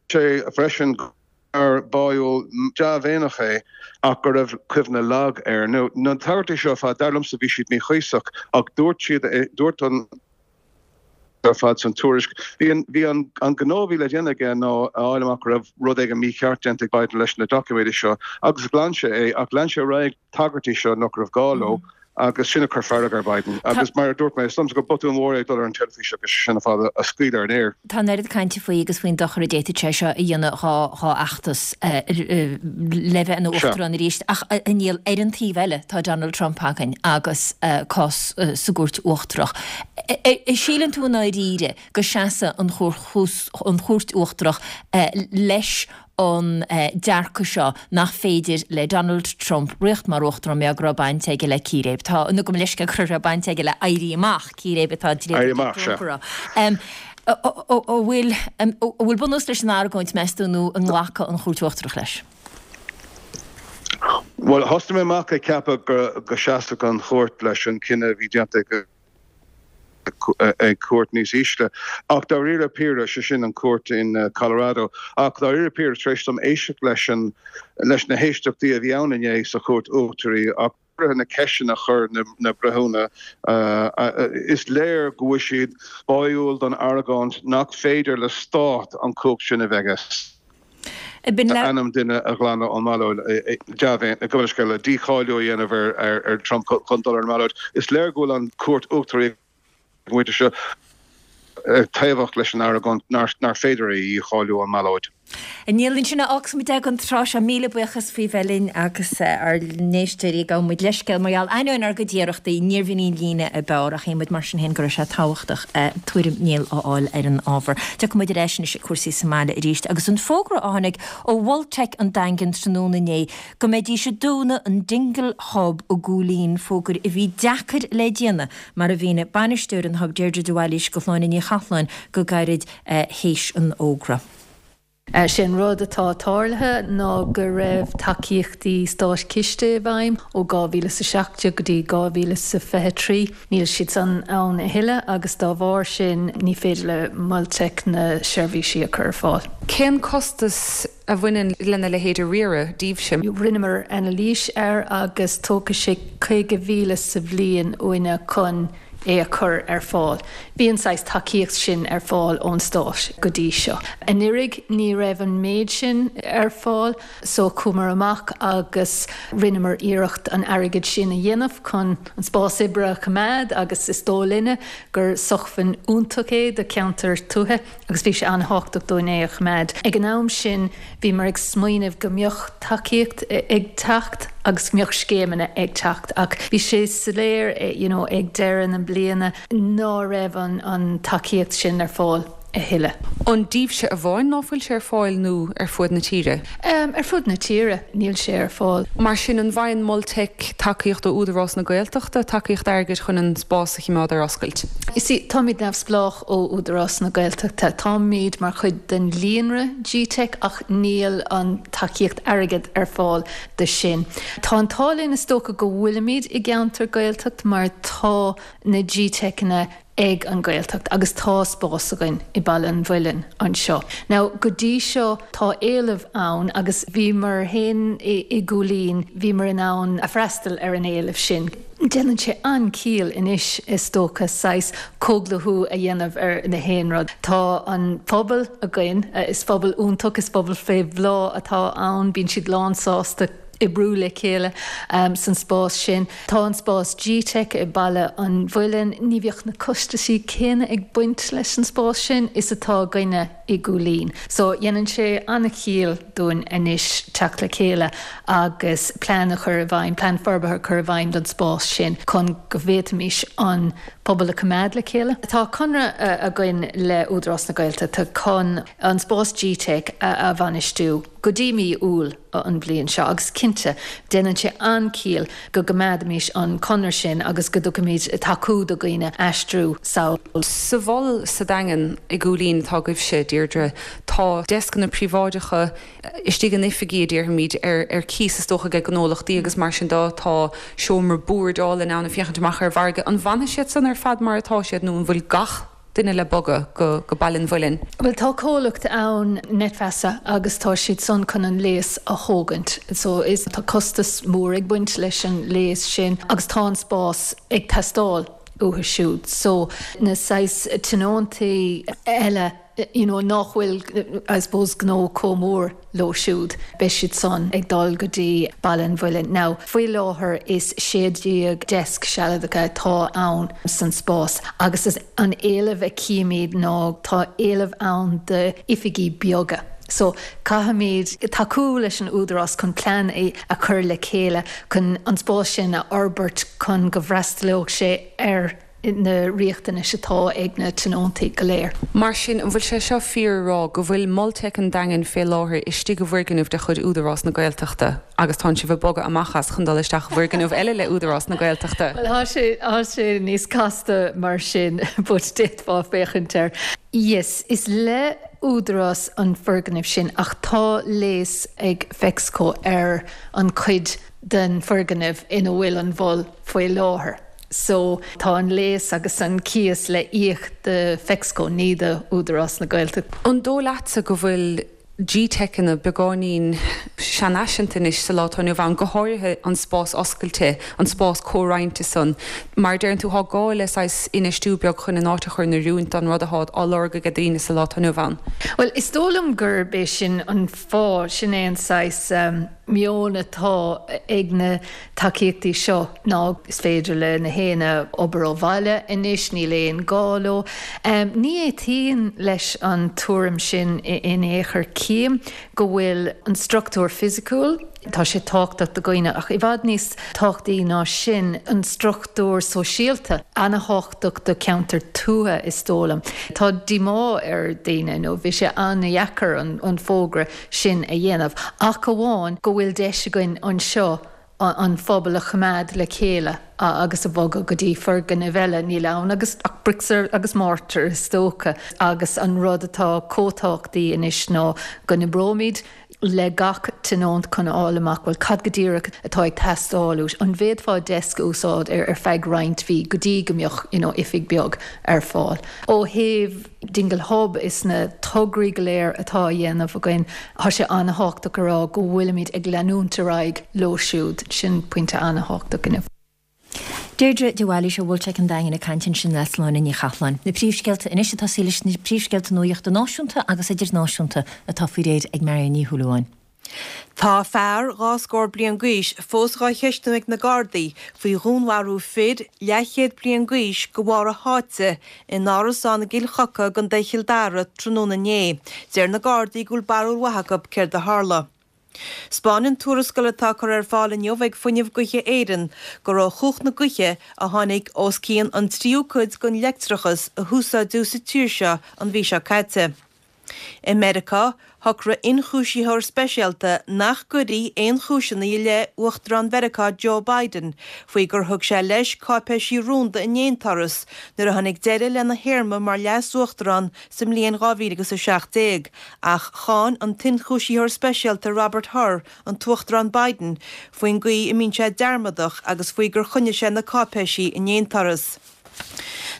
sé freisin gur fear báúil dea-mhéineach é ach go raibh cuimhne lag air. Now, na tagairtí seo ar fad, dar liomsa, bhí siad míchuíosach ach dúirt siad, dúirt an ar fad san tuairisc. Bhí an, bhí an, an gnó a bhí le déanamh aige ná a fháil amach go raibh rud éigin mícheart déanta ag Biden leis na doiciméid seo agus ghlan sé é ach lean sé ar aghaidh tagairtí seo nach raibh gá leo agus sin a chuir fearg ar Biden. Agus mar a dúirt mé, is dóigh liomsa gur botún mór é dul ar an teilifís agus sin ar fad a scaoileadh ar an aer. Tá an oiread cainte faoi agus faoin dochar a d'fhéadfadh sé seo a dhéanamh dhá fheachtas le bheith ina uachtarán arís. Ach a Niall, ar an taobh eile tá Donald Trump againn agus cás sa gCúirt Uachtarach. Síleann tú i ndáiríre go seasfaidh an Chúirt Uachtarach leis an dearcadh seo nach féidir le Donald Trump rith mar uachtarán mar go raibh baint aige le círéib. Tá, nó gabh mo leithscéal go raibh baint aige le Éirí Amach, círéib atá Éirí Amach, sea. An bhfuil, an bhfuil bunús leis an argóint, meas tú, nó an nglacfaidh an Chúirt Uachtarach leis? Bhuel, thosnaigh mé amach ag ceapadh go seasfadh an chúirt leis an cinneadh a bhí déanta ag ag cúirt níos ísle. Ach dáiríre píre, sé sin an cúirt in Colorado, ach dáiríre píre tar éis dom éisteacht leis an leis na héisteachtaí a bhí ann inné sa chúirt uachtaraí ach na ceisteanna a chuir na breithiúna, is léir go bhfuil siad báúil don argóint nach féidir le stát an chumhacht sin a bheith aige. Ainm duine a ghlanadh ón mballóid, gabh mo leithscéal, dícháiliú a dhéanamh ar Trump chun dul ar an mballóid. Is léir go bhfuil an Chúirt Uachtaraí ag an bpointe seo taobhach leis an argóint nár féidir é a dhícháiliú ón mballóid. A Néill, ansin a fhágfaidh muid é don tráth seo. Míle buíochas faoi bheith linn agus ár n-éisteoirí, gabhann muid leithscéal mar gheall, ainneoin ár gcuid iarrachtaí, níorbh in í an líne ab fhearr ach shíl muid mar sin féin go raibh sé tábhachtach tuairim Néill a fháil ar an ábhar. Tiocfaidh muid ar ais anois ag cúrsaí sa mbaile arís agus an fógra a tháinig ó Mhol Teic an Daingin tráthnóna inné go mbeidís ag dúnadh an Dingle Hub i gCúil Aodha, fógra a bhí deacair le déanamh mar a mhínigh bainisteoir an Hub Deirdre de Bhailís go Shláine Ní Chathalláin go gairid théis an fhógra. Sé an rud atá tarlaithe ná go raibh tacaíochtaí státchiste i bhfeidhm ó dhá mhíle is a seacht déag go dtí dhá mhíle is a fiche trí. Níl siad san ann a thuilleadh agus dá bharr sin ní féidir le Mol Teic na seirbhísí a chur ar fáil. Cén costas a bhaineann lena leithéid a riaradh daoibhse? Rinneamar anailís air agus tógfaidh sé caoga mhíle sa bhliain uainne chun é a chur ar fáil. Bhí an saghas tacaíocht sin ar fáil ón stát go dtí seo. Anuraidh ní raibh an méid sin ar fáil so chuamar amach agus rinneamar iarracht an airgead sin a dhéanamh chun an spás oibre a choimeád agus is dóigh linne gur sócmhainn iontach é do cheantar tuaithe agus bhí sé an-thábhachtach dúinn é a choimeád. Ag an am sin bhíomar ag smaoineamh go mbeadh tacaíocht ag teacht agus go mbeadh scéimeanna ag teacht ach bhí sé soiléir you know ag deireadh na bliana ná raibh an an tacaíocht sin ar fáil a thuilleadh. An daoibhse amháin ná fuil sé ar fáil nó ar fud na tíre? Um, ar fud na tíre níl sé ar fáil. Mar sin an bhfaigheann Mol Teic tacaíocht ó Údarás na Gaeltachta, tacaíocht airgid chun an spás a choimeád ar oscailt? You see, táimid neamhspleách ó Údarás na Gaeltachta. Táimid mar chuid den líonra G-Teic ach níl an tacaíocht airgid ar fáil do sin. Tá an t-ádh linn is dócha go bhfuilimid i gceantar Gaeltacht mar tá na G-Teiceanna ag an Ghaeltacht agus tá spás againn i Baile an Mhuilinn anseo. Now go dtí seo tá éileamh ann agus bhíomar féin i i gCúil Aodha, bhíomar in ann a freastal ar an éileamh sin. Déanann sé an-chiall anois is dócha saghas comhdhlúthú a dhéanamh ar na haon rud. Tá an pobal againn, is pobal iontach, is pobal fé bhláth atá ann, bíonn siad lánsásta oibriú le chéile san spás sin. Tá an spás G-Teic i Baile an Mhuilinn, ní bheadh na costaisí céanna ag baint leis an spás sin is atá againne i gCúil Aodha. So dhéanann sé an-chiall dúinn anois teacht le chéile agus plean a chur i bhfeidhm, plean forbartha a chur i bhfeidhm don spás sin chun go bhféadfaimis an pobal a choimeád le chéile. Tá conradh againn le Údarás na Gaeltachta chun an spás G-Teic a bhainistiú go dtí mí Iúil an bhliain seo agus cinnte déanann sé an-chiall go gcoimeádfaimis an conradh sin agus go dtugfaimid tacú do dhaoine aistriú sall. Sa mhol sa Daingean i gCúil Aodha atá agaibhse, Deirdre, tá deascanna príobháideacha istigh in oifigí a déarfaimid ar ar cíos is dócha ag gnólachtaí agus mar sin de tá seomra boird álainn ann ag féachaint amach ar an bhfarraige. An bhfanfaidh siad san ar fad mar atá siad nó an bhfuil gach duine le bogadh go go Baile an Mhuilinn? Bhuel tá comhlacht ann Netfeasa agus tá siad san chun an léas a thógaint. So is tá costas mór ag baint leis an léas sin agus tá an spás ag teastáil uathu siúd. So na saghas tionóntaí eile you know, nach bhfuil I suppose gnó chomh mór leo siúd, beidh siad san ag dul go dtí Baile an Mhuilinn. Now, faoi láthair is sé déag deasc sealadacha atá ann san spás agus is an éileamh a chímid ná tá éileamh ann d'oifigí beaga. So caithfimid tacú leis an Údarás chun plean a chur le chéile chun an spás sin a fhorbairt chun go bhfreastalódh sé ar na riachtanais atá ag na tionóntaí go léir. Mar sin, an bhfuil sé seo fíor a rá go bhfuil Mol Teic an Daingin fé láthair istigh i bhfoirgneamh de chuid Údarás na Gaeltachta agus tánn sibh ag bogadh amach as chun dul isteach i bhfoirgneamh eile le Údarás na Gaeltachta? Bhuel, tá sé, tá sé níos casta mar sin but d'fhéadfá féachaint air. Yes, is le Údarás an foirgneamh sin ach tá léas ag Fexco ar an chuid den foirgneamh ina bhfuil an mhol faoi láthair. So tá an léas agus an cíos le íoc do Fexco ní do Údarás na Gaeltachta. An dóigh leatsa go bhfuil G-Teiceanna beagáinín seanfhaiseanta anois sa lá atá inniu ann, go háirithe an spás oscailte, an spás comhroinnte san. Mar a deireann tú, tá gá le saghas infheistiú beag chun an áit a chur in oiriúint don rud atá á lorg ag daoine sa lá atá inniu ann. Bhuel, is dóigh liom gurb é sin an fáth, sin é an saghas meon atá ag na tacaíochtaí seo ná is féidir le na héinne obair ó bhaile anois, níl aon gá leo. Ní aontaím leis an tuairim sin in aon chor. Cím go bhfuil an struchtúr fisiciúil, tá sé tábhachtach do dhaoine ach i bhfad níos tábhachtaí ná sin an struchtúr sóisialta, an-tábhachtach do cheantar tuaithe is dóigh liom. Tá díomá ar daoine nó bhí sé an-dheacair an fógra sin a dhéanamh ach amháin go bhfuil deis againn anseo an phobal a choimeád le chéile agus a bhogadh go dtí foirgnimh eile, níl ann agus ach bricks agus mortar is dócha agus an rud atá chomh tábhachtaí anois ná go n-oibreoimid le gach tionónt chun a fháil amach bhuel cad go díreach atá ag teastáil uait, an bhféadfá desk a úsáid ar ar feadh roinnt mhí go dtí go mbeadh you know oifig beag ar fáil. Ó thaobh Dingle Hub is na tograí go léir atá á dhéanamh againn, tá sé an-thábhachtach a rá go bhfuilimid ag leanúint ar aghaidh leo siúd, sin pointe an-thábhachtach inniu. Deirdre de Bhailís ó Mholtec an Daingin ag caint ansin le Sláine Ní Chathalláin. Na príomhscéalta anois ag tosaí leis na príomhscéalta nuachta náisiúnta agus idirnáisiúnta atá faoi réir ag Marion Ní Shúilleabháin. Tá fear dhá scór bliain d'aois fós dhá cheistiú ag na Gardaí faoi dhúnmharú fir leathchéad bliain d'aois de bharr a sháite in árasán i gCill Choca i gContae Chill Dara tráthnóna inné. Deir na Gardaí go bhfuil barúil mhaith acu céard a tharla. 'Spáineann tuarascáil atá curtha ar fáil inniu ag Fuinneamh Gaoithe Éireann gur ó chumhacht na gaoithe a tháinig os cionn an tríú cuid den leictreachas a húsáideadh sa tír seo an mhí seo caite. I Meiriceá, shocraigh ionchúisitheoir speisialta nach gcuirfí aon chúiseanna i leith Uachtarán Mheiriceá Joe Biden faoi gur thug sé leis cáipéisí rúnda in aon turas nuair a tháinig deireadh lena théarma mar leas-uachtarán sa mbliain dhá mhíle agus a seacht déag ach cháin an t-ionchúisitheoir speisialta Robert Hur an tUachtarán Biden faoin gcaoi a mbíonn sé dearmadach agus faoi gur choinnigh sé na cáipéisí in aon turas.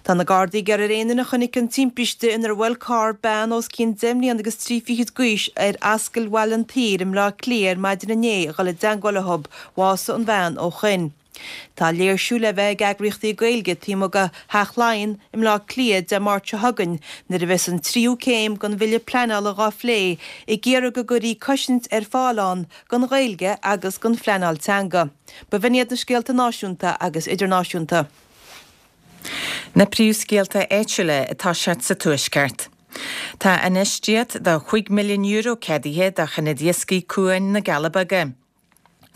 Tá na Gardaí ag iarraidh ar aon duine a chonaic an timpiste inar bhuail carr bean os cionn deich mbliana agus trí fichid d'aois ar Ascaill Bhaile an tSaoir i mBleá Cliath ar maidin inné a dhul i dteangmháil leo. Bhásaigh an bhean ó shoin. Tá léirsiú le bheith ag eagraíochtaí Gaeilge taobh amuigh de Theach Laighean i mBleá Cliath Dé Máirt seo chugainn nuair a bheas an tríú céim den bhille pleanála dhá phlé ag iarraidh go gcuirfí cosaint ar fáil ann don Ghaeilge agus don phleanáil teanga. B'in iad na scéalta náisiúnta agus idirnáisiúnta. Na príomhscéalta áitiúla atá siad sa Tuaisceart. Tá infheistíocht de chúig milliún euro ceadaithe do Ionad Iascaigh Cuan na gCealla Beaga.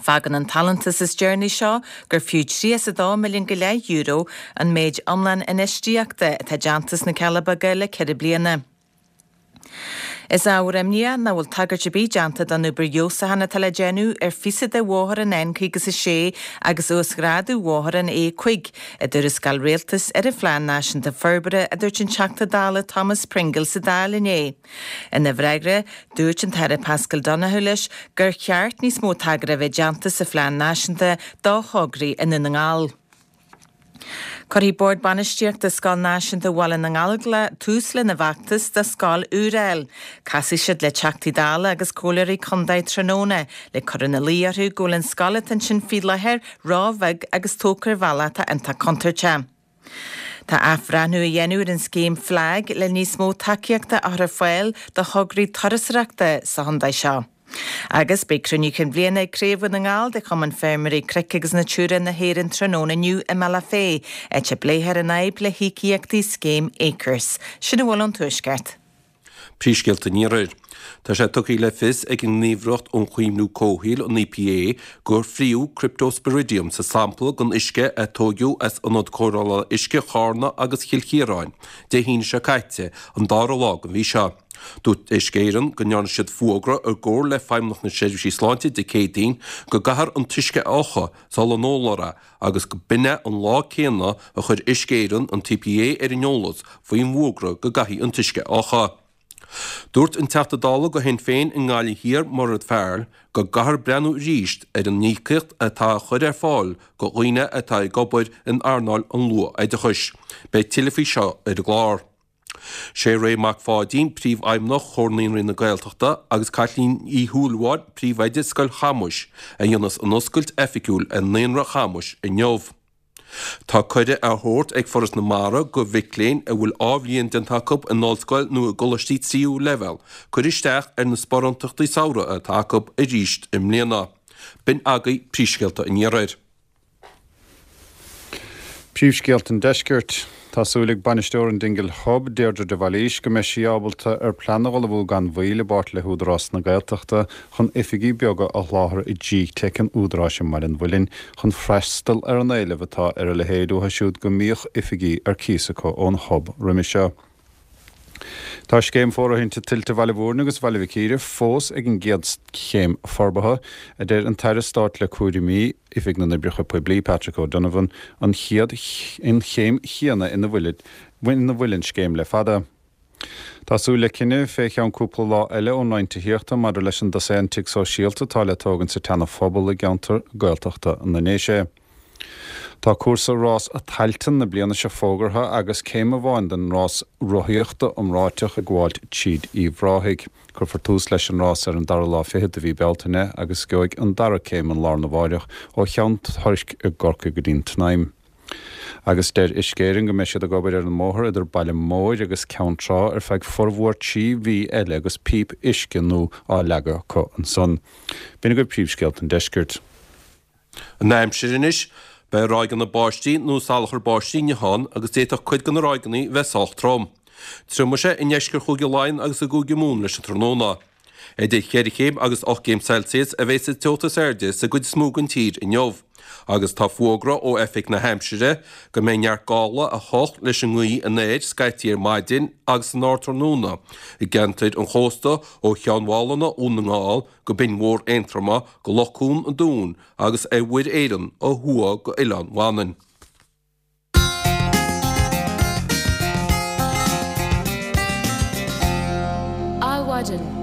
Fágann an tallantas is deireanaí seo gur fiú tríocha a dó milliún go leith euro an méid iomlán infheistíochta atá déanta sna Cealla Beaga le ceithre bliana. Is ábhar imní nach bhfuil tagairt ar bith déanta don obair fheabhsúcháin atá le déanamh ar phíosa de bhóthar an N caoga is a sé agus uasghrádú bhóthar an A cúig i dtuarascáil Rialtais ar an Phlean Náisiúnta Forbartha, a dúirt an Teachta Dála Thomas Pringle sa Dáil inné. Ina bhfreagra, dúirt an tAire Paschal Donohoe leis gur cheart níos mó tagartha a bheith déanta sa Phlean Náisiúnta do thograí i nDún na nGall. Cuirfidh Bord Bainistíochta Scoil Náisiúnta Bhaile na nGallóglach tús lena bhfeachtas do scoil úr a fháil. Casfaidh siad le Teachtaí Dála agus Comhairleoirí Contae tráthnóna le cur ina luí orthu go bhfuil an scoil atá ansin faoi láthair ró-bheag agus tógtha ar bhealach atá iontach contúirteach. Tá athbhreithniú á dhéanamh ar an scéim FLAG le níos mó tacaíochta a chur ar fáil do thograí turasóireachta sa chontae seo. Agus beidh cruinniú cinn bhliana ag Craobh Dhún na nGall de Chumann Feirmeoirí Cnoic agus Natura na hÉireann tráthnóna inniu i mBealach Féich, áit a bpléifear an fhadhb le híocaíochtaí scéim Acres. Sin a bhfuil ón Tuaisceart. Príomhscéalta an Iarthair. Tá sé tugtha le fios ag an nGníomhaireacht um Chaomhnú Comhshaoil, an EPA, gur fríodh Cryptosporidium sa sampla den uisce a tóigeadh as ionad cóireála uisce Charna agus Chill Chiaráin Dé hAoine seo caite, an dara lá den mhí seo. Dúirt Uisce Éireann go ndearna siad fuagra i gcomhar le Feidhmeannacht na Seirbhísí Sláinte Dé Céadaoin go gcaithfear an t-uisce a fhiuchadh sula n-ólfar é agus go b'in é an lá céanna a chuir Uisce Éireann an tEPA ar an eolas faoin bhfuagra go gcaithfí an t-uisce a fhiuchadh. Dúirt an Teachta Dála do Shinn Féin i nGaillimh Thiar, Mairéad Farrell, go gcaithfear breathnú arís ar an íocaíocht atá á chur ar fáil do dhaoine atá ag obair in earnáil an luath-oideachais. Beidh tuilleadh faoi seo ar an gclár. Sé Ray Mac Pháidín, Príomhfheidhmeannach Chomhar Naíonraí na Gaeltachta, agus Caitlín Uí Shúilleabháin, Príomhoide Scoil Chamuis, a dhéanfas an oscailt oifigiúil ar Naíonra Chamuis inniu. Tá cuireadh á thabhairt ag Foras na Mara do mhic léinn a bhfuil dhá bhliain déanta acu in ollscoil nó i gcoláistí tríú leibhéal cur isteach ar na sparántachtaí samhraidh atá acu arís i mbliana. B'in agaibh príomhscéalta an Iarthair. Príomhscéalta an Deiscirt. Tá súil ag bainisteoir an Dingle Hub, Deirdre de Bhailís, go mbeidh sí ábalta ar plean a ullmhú gan mhoill i bpáirt le hÚdarás na Gaeltachta chun oifigí beaga a sholáthar i G-Teic an Údaráis i mBaile an Mhuilinn chun freastal ar an éileamh atá ar a leithéid uathu siúd go mbíodh oifigí ar cíos acu ón Hub roimhe seo. Tá scéim fóirithinte tuilte Bhaile Mhúirne agus Bhaile Mhic Íre fós ag an gcéad chéim forbartha, a deir an tAire Stáit le cúraimí Oifig na nOibreacha Poiblí, Patrick O'Donovan, an chéad an chéim chéanna ina bhfuil ina bhfuil an scéim le fada. Tá súil le cinneadh fé cheann cúpla lá eile ón Roinn Tithíochta maidir leis an dosaen tigh sóisialta atá le tógaint sa tSeana-Phobal i gceantar Gaeltachta na nDéise. Tá cúrsa Rás Tailteann na bliana seo fógartha agus céim amháin den rás rothaíochta iomráiteach ag gabháilt tríd Uíbh Ráthaigh. Cuirfear tús leis an rás ar an dara lá fichead de mhí Bealtaine agus gheobhaidh an dara céim an lá arna mháireach ó Cheann Toirc i gCorcaigh go dtí'n tSnaidhm. Agus deir Uisce Éireann go mbeidh siad ag obair ar an mbóthar idir Baile Móir agus Ceann Trá ar feadh formhór trí mhí eile agus píp uisce nua á leagadh acu ansan. B'in agaibh príomhscéalta an deiscirt. An aimsir anois, Beidh ráigeanna báistí nó salachar báistí inniu ann agus d'fhéadfadh cuid de na ráigeanna bheith sách trom. Triomóidh sé i ndeisceart Chúige Laighean agus i gCúige Mumhan leis an tráthnóna. Idir cheithre chéim agus ocht gcéim Celsius a bheidh sa teocht is airde sa gcuid is mó den tír inniu agus tá fógra ó Oifig na hAimsire go mbeidh neart gála a hocht leis an ngaoth anoir scaití ar maidin agus san ardtráthnóna i gceantair an chósta ó Cheann Mhálanna, Dhún na nGall, go Binn Mhór Aontroma, go Loch Cuan an Dúin agus ar Mhuir Éireann ó thuaidh go Oileán Mhanann. Adhmhaidin.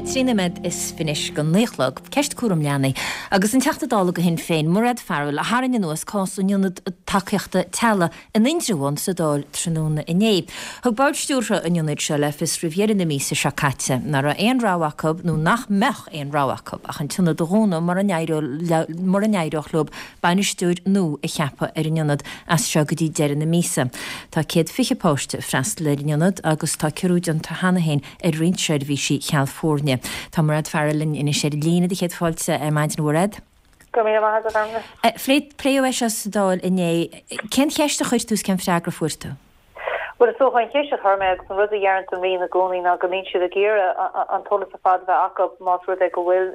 Trí nóiméad is fiche anois go naoi a chlog. Ceist cúram leanaí agus an Teachta Dála do Shinn Féin, Mairéad Farrell, a tharraing anuas cás an Ionaid Tacaíochta Teaghlaigh in Indreabhán sa Dáil tráthnóna inné. Thug bord stiúrtha an ionaid seo le fios roimh dheireadh na míosa seo caite nach raibh aon rogha acu nó nach mbeadh aon rogha acu ach an t-ionad a dhúnadh mura n-éireodh leo bainisteoir nua a cheapadh ar an ionad as seo go dtí deireadh na míosa. Tá céad fiche páiste ag freastal ar an ionad agus tá ciorrú déanta cheana féin ar roinnt seirbhísí cheal foirne. Tá Mairéad Farrell linn anois ar an líne do chéad fáilte ar maidin, a Mhairéad. Go raibh míle maith agat, a Ghormfhlaith. Pléadh é seo sa Dáil inné. Cén cheist a chuir tú is cén freagra a fuair tú? Bhuel, is dócha an cheist a chuir mé agus an rud a dheireanns an Roinn i gcónaí ná go mbíonn siad ag iarraidh an t-eolas ar fad a bheith acu más rud é go bhfuil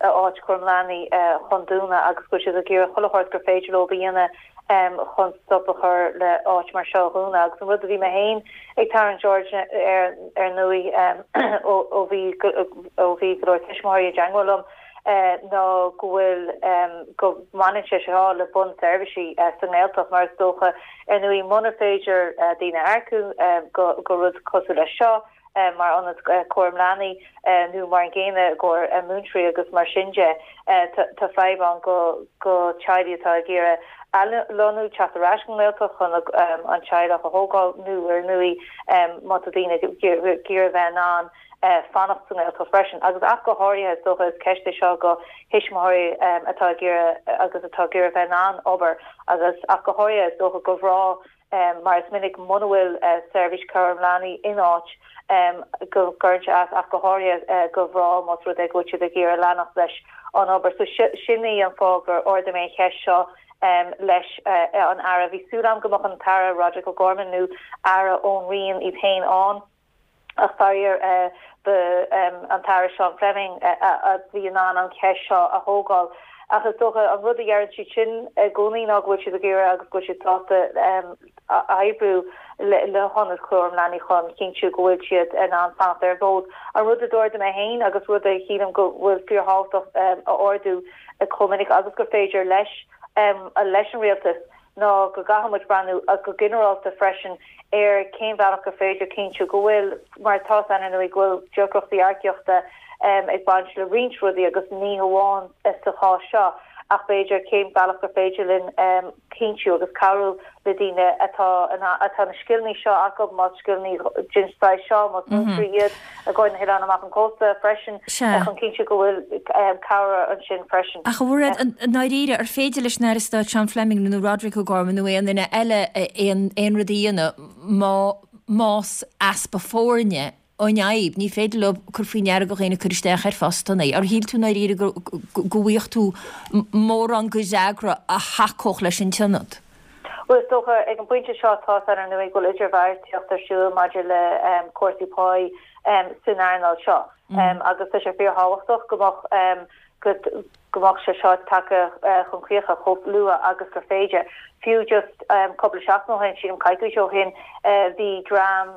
áit chúram leanaí chun dúnadh agus go bhfuil siad ag iarraidh chuile shórt gur féidir leo a dhéanamh chun stop a chur le áit mar seo a dhúnadh. Agus an rud a bhí mé féin ag tarraingt aird air ar ndóigh ó bhí ó bhí go leor tuismitheoirí i dteagmháil liom, ná go bhfuil, go mbaineann sé seo le bunseirbhísí sa nGaeltacht mar is dócha, ar ndóigh, munar féidir daoine a earcú go rud cosúil leis seo mar ionad cúram leanaí nó mar an gcéanna i gcomhair múinteoirí agus mar sin de, tá fadhb ann go teaghlaigh atá ag iarraidh athlonnú, teacht ar ais go nGaeltacht chun an teaghlach a thógáil nó ar ndóigh má tá daoine ag iarraidh bheith in ann fanacht sa nGaeltacht freisin. Agus ach go háirithe, is dócha, is ceist é seo go thuismitheoirí atá ag iarraidh agus atá ag iarraidh bheith in ann obair agus ach go háirithe, is dócha, go mná mar is minic muna bhfuil seirbhís cúram leanaí in áit go gcuireann sé as ach go háirithe go mná más rud é go bhfuil siad ag iarraidh leanacht leis an obair. So sin í an fáth gur ardaigh mé an cheist seo leis an Aire. Bhí súil agam go mbeadh an tAire Roderic O'Gorman nó Aire ón Roinn iad féin ann. Ach faraor, ba an tAire Seán Fleming a bhí in ann an cheist seo a thógáil. Ach is dócha, an rud a dheireann siad sin i gcónaí ná go bhfuil siad ag iarraidh agus go bhfuil siad sásta oibriú le hionad cúram leanaí chun cinntiú go bhfuil siad in ann fanacht ar an bhfód. An rud a d'ardaigh mé féin agus rud a shílim go bhfuil fíorthábhachtach a ardú chomh minic agus gur féidir leis leis an rialtas, ná go gcaithfidh muid breathnú go ginearálta freisin ar cén bhealach gur féidir cinntiú go bhfuil, mar tá a fhios againn ar ndóigh go bhfuil deacrachtaí earcaíochta ag baint le roinnt rudaí agus ní hamháin sa chás seo ach b'fhéidir cén bealach gur féidir linn cinntiú agus cabhrú le daoine atá atá na scileanna seo acu, más scileanna den saghas seo, más múinteoirí iad i gcomhair na hoileáin amach an cósta freisin chun cinntiú go bhfuil cabhair ansin freisin. Ach a Mhairéad, i ndáiríre, ar féidir leis an Aire Stáit Seán Fleming nó Roderic O'Gorman nó aon duine eile aon aon rud a dhéanamh má más easpa foirne an fhadhb, ní féidir leo cur faoi ndeara do dhaoine cur isteach ar phostanna. Ar shíl tú i ndáiríre go go bhfaigheadh tú mórán de fhreagra a thacódh leis an tionad? Bhuel, is dócha, ag an bpointe seo tá a fhios againn ar ndóigh go bhfuil idirbheartaíocht ar siúl maidir le cúrsaí páí san earnáil seo agus tá sé fíorthábhachtach go mbeadh go go mbeadh sé seo tagtha chun críocha chomh luath agus gur féidir. Fiú just cúpla seachtain ó shin, sílim coicís ó shin, bhí dream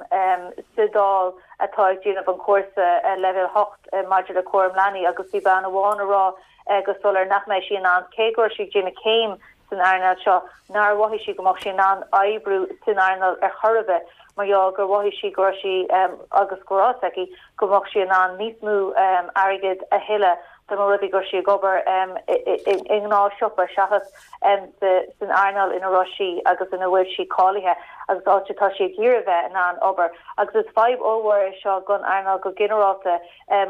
sa Dáil atá ag déanamh an cúrsa leibhéal a hocht maidir le cúram leanaí agus bhí bean amháin ag rá go soiléir nach mbeidh sí in ann, cé go raibh sí ag déanamh céim san earnáil seo, nár mhothaigh sí go mbeadh sí in ann oibriú san earnáil ar chor ar bith mar gheall gur mhothaigh sí go raibh sí agus go raibh a fhios aici go mbeadh sí in ann níos mó airgid a thuilleadh dá mba rud é go raibh sí ag obair i ngnáthshiopa seachas san earnáil ina raibh sí agus ina bhfuil sí cáilithe agus áit atá sí ag iarraidh bheith in ann obair. Agus is fadhb ollmhór é seo don earnáil go ginearálta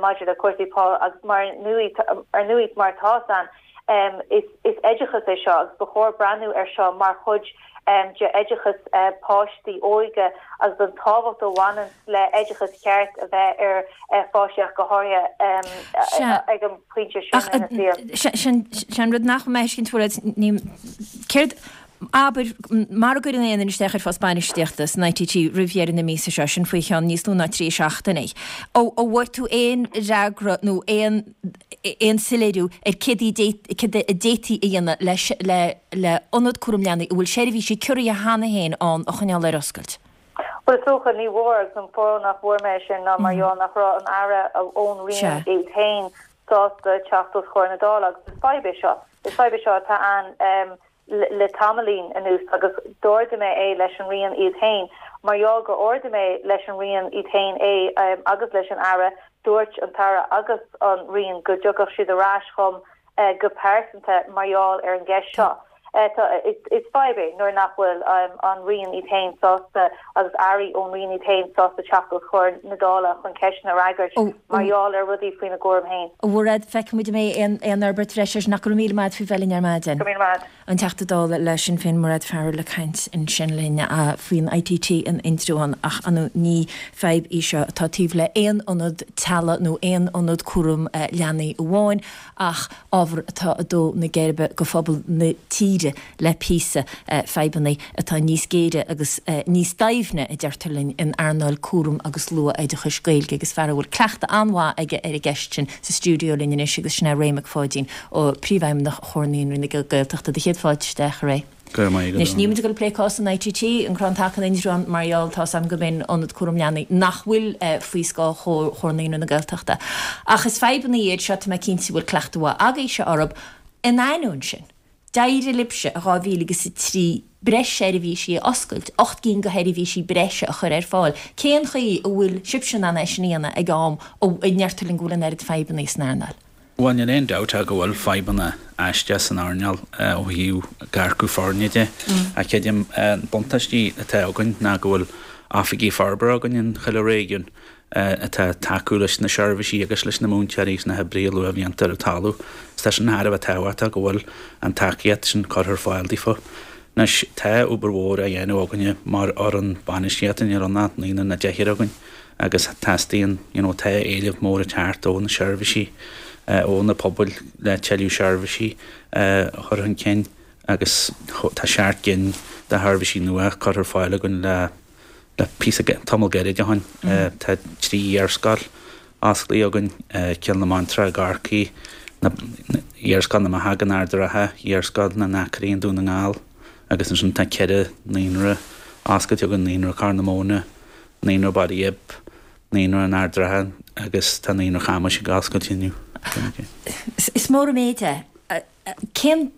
maidir le cúrsaí pá agus mar ar ndóigh mar atá a fhios againn is oideachas é seo agus ba chóir breathnú air seo mar chuid de oideachas páistí óige agus an tábhacht a bhaineann le oideachas ceart a bheith ar pháistí ach go háirithe ag an bpointe sin ina saol. Sin an rud nach mbeidh tuiscint uait, céard, abair, mara gcuireann aon duine isteach ar phost bainistíochta san ITT roimh dheireadh na míosa seo, sin faoi cheann níos lú ná trí seachtainí, an bhfuair tú aon fhreagra nó aon aon soiléiriú ar céard a d'fhéadfaí a dhéanamh le le ionad cúram leanaí a bhfuil seirbhísí ciorraithe cheana féin ann a choinneáil ar oscailt? Bhuel, is dócha, ní bhfuair, agus an fáth nach bhfuair mé é sin ná mar gheall nach raibh an Aire ón Roinn iad féin sásta teacht os comhair na Dála agus is fadhb é seo. Is fadhb é seo atá ann le tamaillín anuas agus d'ardaigh mé é leis an Roinn iad féin. Mar gheall gur ardaigh mé leis an Roinn iad féin é agus leis an Aire, dúirt an tAire agus an Roinn go dtiocfadh siad ar ais chugam go pearsanta mar gheall ar an gceist seo. Is fadhb é nuair nach bhfuil an Roinn iad féin sásta agus airí ón Roinn iad féin sásta teacht os comhair na Dála chun ceisteanna a fhreagairt mar gheall ar rudaí faoina gcúram féin. A Mhairéad, feicfidh muid an mbeidh aon fhorbairt bhreise air sin ach go raibh míle maith agat faoi bheith linn ar maidin. Go raibh míle maith. An Teachta Dála le Sinn Féin Mairéad Farrell ag caint ansin linn faoin ITT in Indreabhán ach ar ndóigh ní fadhb í seo atá taobh le aon ionad teaghlaigh nó aon ionad cúram leanaí amháin ach ábhar atá ag dó na geirbe go phobal na tíre le píosa, fadhbanna atá níos géire agus níos doimhne, a deirtear linn, in earnáil cúram agus luath-oideachais Gaeilge agus fear a bhfuil cleachtadh an-mhaith aige ar an gceist sin sa stiúideo linn anois agus sin é Ray Mac Pháidín, Príomhfheidhmeannach Chomhar Naíonraí na Gaeltachta. Do chéad fáilte isteach, a Ray. Go raibh maith agat. Anois, níl muid ag dul ag plé cás an ITT, an Crann Taca in Indreabhán, mar gheall, tá's agam gurb in ionad cúram leanaí nach bhfuil faoi scáth Chomhar Naíonraí na Gaeltachta. Ach is fadhbanna iad seo, tá mé cinnte go bhfuil cleachtadh mhaith agaibhse orthu. In ainneoin sin, d'éirigh libhse i dhá mhíle agus a trí breis seirbhísí a oscailt, ocht gcinn de sheirbhísí breise a chur ar fáil. Cén chaoi a bhfuil sibhse in ann é sin a dhéanamh ag am a ndeirtear linn go bhfuil an oiread fadhbanna san earnáil? Bhuel, níl aon dabht ach go bhfuil fadhbanna aisteach san earnáil ó thaobh earcú foirne de. Ach creidim, na buntáistí atá againn ná go bhfuil oifigigh forbartha againn in chuile réigiún atá ag tacú leis na seirbhísí agus leis na múinteoirí agus na hoibrithe luathbhlianta ar an talamh. Is tá sin thar a bheith tábhachtach go bhfuil an tacaíocht sin curtha ar fáil daofa. Anois, tá obair mhór á dhéanamh againne mar fhoireann bainistíochta, níl ann ach naonúr nó deichniúr againn. agus teastaíonn, you know, tá éileamh mór ag teacht ó na seirbhísí, ó na pobail le tuilleadh seirbhísí a chur chun cinn agus tá seacht gcinn de sheirbhísí nua curtha ar fáil againn le le píosa, tamall gairid ó shin. Tá trí iarscoil osclaithe againn, Cill na Martra i gCorcaigh, Iarscoil na mBeathach in Ard an Rátha, Iarscoil na nAcraí i nDún na nGall agus ansin tá ceithre naíonra oscailte againn, Naíonra Corr na Móna, Naíonra Baile Ghib, Naíonra an Ard Ratha agus tá Naíonra Chamuis ag oscailt inniu. Is mór an méid é. Cén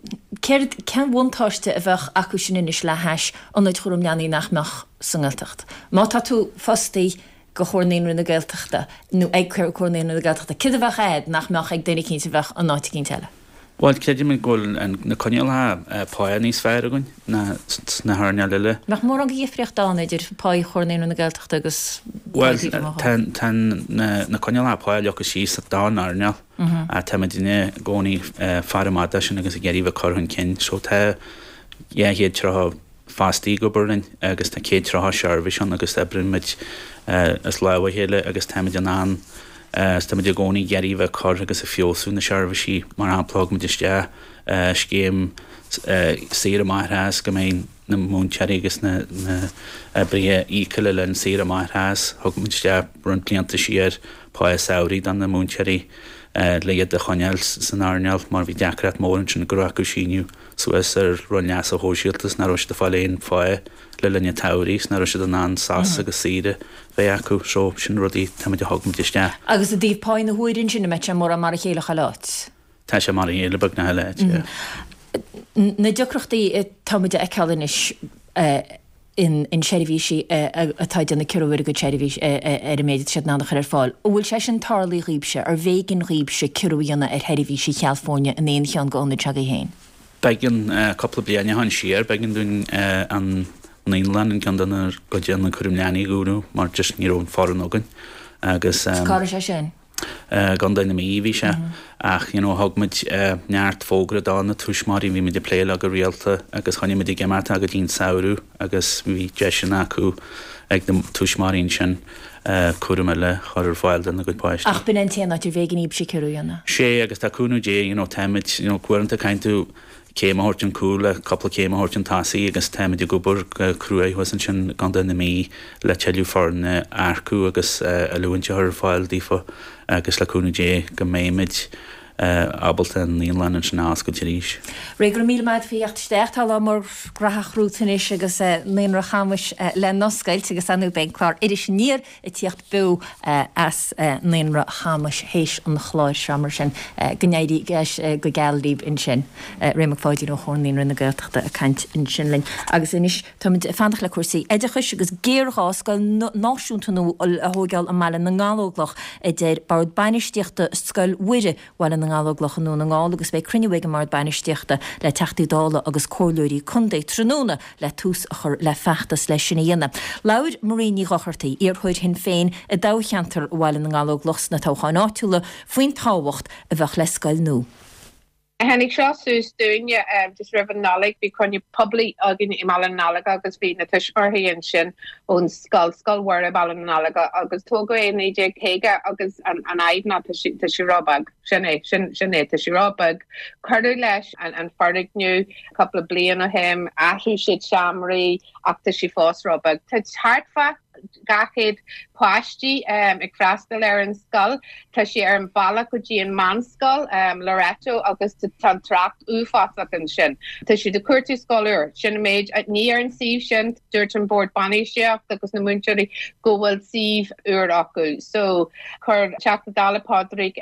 Céard, cén bhuntáiste a bheadh acu sin anois le hais ionaid chúram leanaí nach mbeadh sa nGaeltacht? Má tá tú fostaí go Comhar Naíonraí na Gaeltachta nó ag Comhar Naíonraí na Gaeltachta, céard a bheadh a'd nach mbeadh ag duine eicínt a bheadh in áit eicínt eile? Bhuel, creidim go bhfuil na coinníollacha pá níos fearr againn ná sna hearnáil eile. Nach mórán de dhifríocht ann idir pá Chomhar Naíonraí na Gaeltachta agus pá Bhuel, tá tá na coinníollacha pá leagtha síos don earnáil. Táimidne i gcónaí ag faire amach dó sin agus ag iarraidh bheith cur chun cinn. So tá dhá chéad tríocha fostaí ag obair linn agus tá céad tríocha seirbhís ann agus oibríonn muid as lámh a chéile agus táimid in ann is táimid i gcónaí ag iarraidh bheith ag cur agus ag feabhsú na seirbhísí. Mar shampla, thug muid isteach scéim saoire máithreachais go mbeidh na múinteoirí agus na oibrithe íoctha le linn saoire máithreachais. Thug muid isteach roinnt blianta siar pá samhraidh do na múinteoirí le iad a choinneáil san earnáil mar bhí deacracht mór ansin go raibh acu síniú suas ar roinn leasa shóisialta is nach raibh siad ag fáil aon phá le linn an tsamhraidh is nach raibh siad in ann sos agus saoire bheith acu. So sin rudaí táimid a thug muid isteach. Agus i dtaobh pá na huaire ansin, an mbeidh sé mórán mar a chéile chuile áit? Tá sé mar a chéile beagnach chuile áit, yeah. Na deacrachtaí atáimid a fheiceáil anois in in seirbhísí atá ag déanamh ciorrú ar a gcuid seirbhís ar an méid atá siad in ann a chur ar fáil. An bhfuil sé sin tarlaithe dhaoibhse? Arbh éigean dhaoibhse ciorrú a dhéanamh ar sheirbhísí cheal foirne in aon cheann d'ionaid s'agaibh féin? B'éigean, cúpla bliain ó shin siar, b'éigean dúinn an naíolann in ceann dár gcuid ionad cúraim leanaí a dhúnadh mar just ní raibh an foireann againn agus. Cá raibh sé sin? I gContae na Mí a bhí sé ach you know thug muid neart fógra do na tuismitheoirí, bhí muid ag plé leo go rialta agus choinnigh muid ag imeacht go dtí an samhradh agus bhí deiseanna acu ag na tuismitheoirí ansin cúram eile a chur ar fáil dona gcuid páistí. Ach b'in an t-aon áit arbh éigean daoibhse ciorrú a dhéanamh. Sé agus tá cúnamh Dé you know táimid you know uaireanta caithfidh tú céim a thabhairt chun cúil le cúpla céim a thabhairt chun tosaigh agus táimid ag obair go cruaidh thuas ansin i gContae na Mí le tuilleadh foirne a earcú agus oiliúint a chur ar fáil daofa agus le cúnamh Dé go mbeimid ábalta an naíolann ansin a oscailt arís. Ray, go raibh míle maith agat faoi theacht isteach. Tá lá mór graitheach romhat anois agus Naíonra Chamuis le n-oscailt agus ar ndóigh beidh an clár Iris Aniar ag tíocht beo as Naíonra Chamuis théis an chláir seo mar sin go n-éirí go geal libh ansin. Ray Mac Pháidín ó Chomhar Naíonraí na Gaeltachta ag caint ansin linn. Agus anois táimid ag fanacht le cúrsaí oideachais agus géarghá scoil náisiúnta nua a thóigeáil i mBaile na nGallóglach a deir Bord Bainistíochta Scoil Mhuire Bhaile na nGallóglach i nDún na nGall agus beidh cruinniú ag an mBord Bainistíochta le Teachtaí Dála agus Comhairleoirí Contae tráthnóna le tús a chur le feachtas leis sin a dhéanamh. Labhair Marie Ní Dhochartaigh, iarrthóir Shinn Féin i dtoghcheantar Bhaile na nGallóglach sna toghcháin áitiúla, faoin tábhacht a bheadh le scoil nua. Tháinig seo suas dúinne just roimh an Nollaig, bhí cruinniú poiblí againn i mBaile na nGallóglach agus bhí na tuismitheoirí ansin ón scoil, Scoil Mhuire Baile na nGallóglach agus tógadh é i naoi déag caoga agus an fhadhb ná tá sé tá sé ró-bheag, sin é, sin sin é, tá sé ró-bheag. Cuireadh leis an an foirgneamh cúpla bliain ó shin, athraigh siad seomraí ach tá sé fós ró-bheag. Tá thart fá dhá chéad páistí ag freastal ar an scoil. Tá sé ar an bhealach go dtí an meánscoil, Loreto, agus tá an trácht uafásach ansin. Tá siad ag cuartú scoil úr. Sin an méid. Ní ar an suíomh sin. Dúirt an bord bainistíochta agus na múinteoirí go bhfuil suíomh úr acu. So, chuir Teachta Dála Pádraig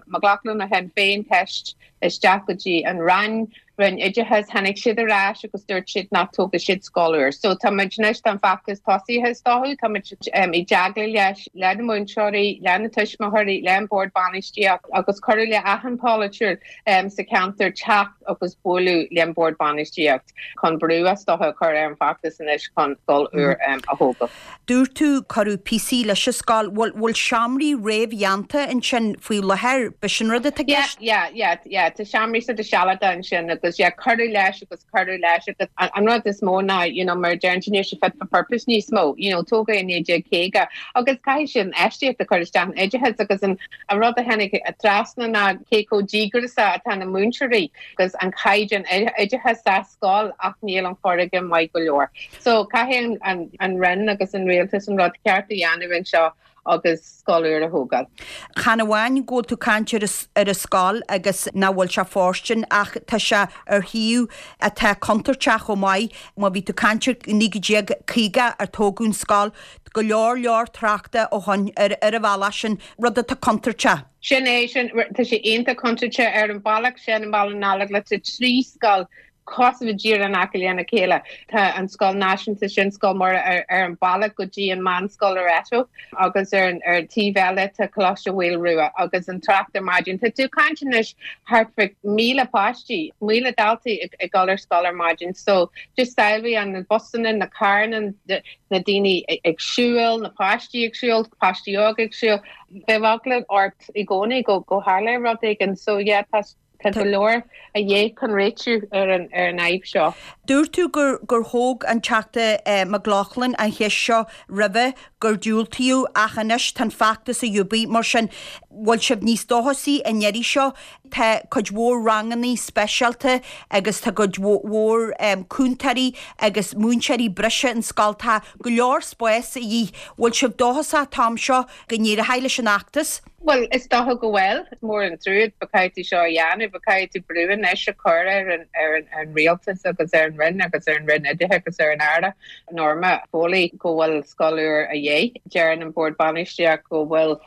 Mac Lochlainn ó Shinn Féin ceist isteach go dtí an Roinn, Roinn Oideachais, tháinig siad ar ais agus dúirt siad nach dtógfaidh siad scoil úr. So tá muid anois, tá an feachtas tosaithe is dócha, tá muid i dteagmháil leis, le na múinteoirí, le na tuismitheoirí, le an bord bainistíocht agus cuireadh le achan polaiteoir sa cheantar teacht agus bualadh le an bord bainistíocht chun brú is dócha a chur ar an bhfeachtas anois chun scoil úr a thógáil. Dúirt tú cuireadh píosaí leis an scoil, bhfuil bhfuil seomraí réamhdhéanta ansin faoi láthair, b'shin rud atá i Yeah, gceist? yeah, yeah, yeah, tá seomraí sort of sealadach ansin agus yeah, cuireadh leis agus cuireadh leis agus an rud is mó ná, you know, mar a deireann tú, níl sé fit for purpose níos mó, you know, tógadh é i naoi déag caoga agus caithfidh siad infheistíocht a chur isteach in oideachas agus an an rud a tháinig trasna ná cé chomh díograiseach atá na múinteoirí agus an caighdeán oideachais sa scoil ach níl an foirgneamh maith go leor. So caithfidh an an Roinn agus an rialtas an rud ceart a dhéanamh anseo agus scoil úr a thógáil. Chan amháin go bhfuil tú caint ar ar an scoil agus nach bhfuil sé fóirstean ach tá sé ar shuíomh atá contúirteach chomh maith. Má bhí tú caint ar naoi déag caoga ar tógadh an scoil, go leor leor tráchta ó shoin ar ar an bhealach sin, rud atá contúirteach. Sin é, sin, tá sé iontach contúirteach ar an bhealach sin i mBaile na nGallóglach, tá trí scoil cosúil díreach in aice lena chéile. Tá an scoil náisiúnta sin Scoil Mhuire ar, ar an bealach go dtí an meánscoil Loreto agus ar an ar taobh eile tá Coláiste Mhaoil Rua agus an trácht ar maidin. Tá tú ag caint anois thart fá míle páistí, míle daltaí ag, ag dul ar scoil ar maidin. So just samhlaigh an na busanna, na carranna, na daoine ag siúl, na páistí ag siúl, páistí óga ag siúl. Bheadh eagla ort i gcónaí go go tharlódh rud éigin. So yeah, tá Tá go leor a dhéanamh chun réitiú ar an ar an fhadhb seo. Dúirt tú gur gur thóg an Teachta McLaughlin an cheist seo roimhe, gur diúltaíodh ach anois tá an feachtas a dhúbaí mar sin bhfuil sibh níos dóchasaí an iarraidh seo? Tá cuid mhór rangannaí speisialta agus tá cuid mhór cúntóirí agus múinteoirí breise in scoil, tá go leor spáis a dhíth. Bhfuil sibh dóchasach an t-am seo go n-éireoidh leis an fheachtas? Bhuel, is dócha go bhfuil. Is mór an trua but caithfidh tú seo a dhéanamh, but caithfidh tú brú anois a chur ar an, ar an, ar an rialtas agus ar an Roinn agus ar an Roinn Oideachais agus ar an Aire Norma Foley go bhfuil scoil úr a dhíth. Deireann an Bord Bainistíochta go bhfuil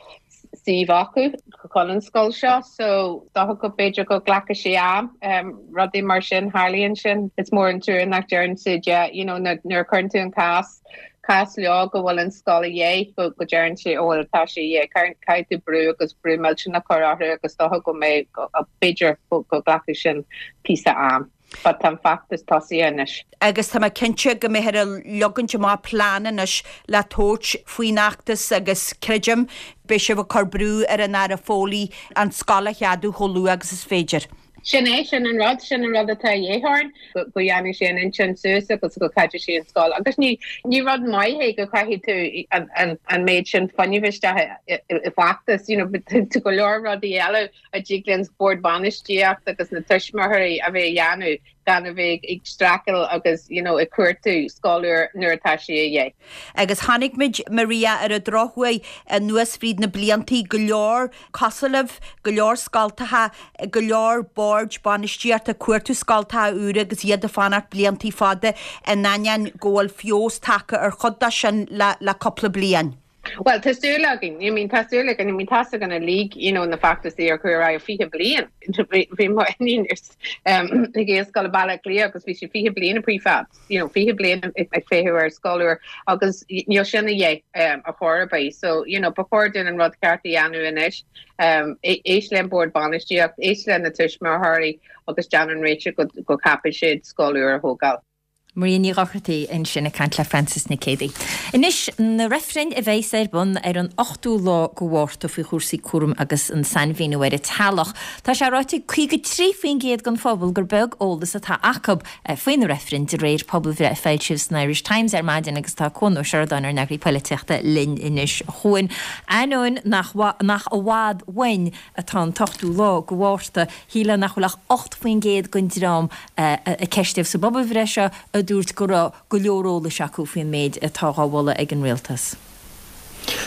suíomh acu chun an scoil seo so dócha go b'fhéidir go nglacfaidh sé am um, rudaí mar sin tharlaíonn sin. Is mór an trua nach deireann siad yeah, you know, nuair a chuireann tú an cás cás leo go bhfuil an scoil a dhíth go go deireann sé ó bhfuil tá sé dhé caithfidh tú brú agus brú millteanach a chur orthu agus dócha go mbeidh b'fhéidir go nglacfaidh sin píosa am. But tá an feachtas tosaithe anois. Agus tá mé cinnte go mbeifear ag leagaint amach plean anois le tabhairt faoin fheachtas agus creidim beidh sibh ag cur brú ar an Aire Foley an scoil a cheadú chomh luath agus is féidir. Sin é, sin an rud, sin an rud atá a dhíth orainn, go ndéanfaidh sé an intinn suas agus go gceadóidh sé an scoil. Agus ní ní rud maith é go gcaithfidh tú an, an, an méid sin fuinnimh isteach i, i, i bhfeachtas, you know, tá go leor rudaí eile a dtig leis an bord bainistíocht agus na tuismitheoirí a bheith a dhéanamh gan a bheith ag streachailt agus you know, ag cuartú scoil úr nuair atá sé a dhíth. Agus chonaic muid Maria ar an drochuair anuas fríd na bliantaí go leor cosúil libh, go leor scoltacha, go leor boird bainistíochta ag cuartú scoltacha úra agus iad ag fanacht bliantaí fada in ainneoin go bhfuil feabhas tagtha ar chuid de sin le le cúpla bliain. Well, tá súil againn, I mean, tá súil againn, I mean, tá againn uilig, you know, na feachtasaí ar chuir aghaidh fiche bliain. Bhí mo iníon um, ag Gaelscoil Baile Átha Cliath agus bhí sé fiche bliain a prefab, you know, fiche bliain ag feitheamh ar scoil úr agus níl sin a dhíth um, a chor ar bith. So, you know, ba chóir dúinn an rud ceart a dhéanamh anois, um, éist le an bord bainistíocht, éist le na tuismitheoirí agus déan an réiteach go, go gcaithfidh siad scoil úr a thógáil. Maria Ní Dhochartaigh ansin ag caint le Francis Nic Géadaigh. Anois na reifrinn a bheas ar bun ar an ochtú lá de Mhárta faoi chúrsaí cúraim agus an sainmhíniú ar an teaghlach. Tá sé ráite ag caoga trí faoin gcéad den phobal gur beag eolas atá acu faoi na reifrinn de réir pobalbhreith a foilsíodh san Irish Times ar maidin agus tá Cuan Ó Seireadáin ár n-eagraí polaitíochta linn anois chugainn. Ainneoin nach nach i bhfad uainn atá an t-ochtú lá de Mhárta, shílfeá nach bhfuil ach ocht faoin gcéad den dream a ceistíodh sa bpobalbhreith seo a dúirt go raibh go leor eolais acu faoin méid atá á mholadh ag an rialtas.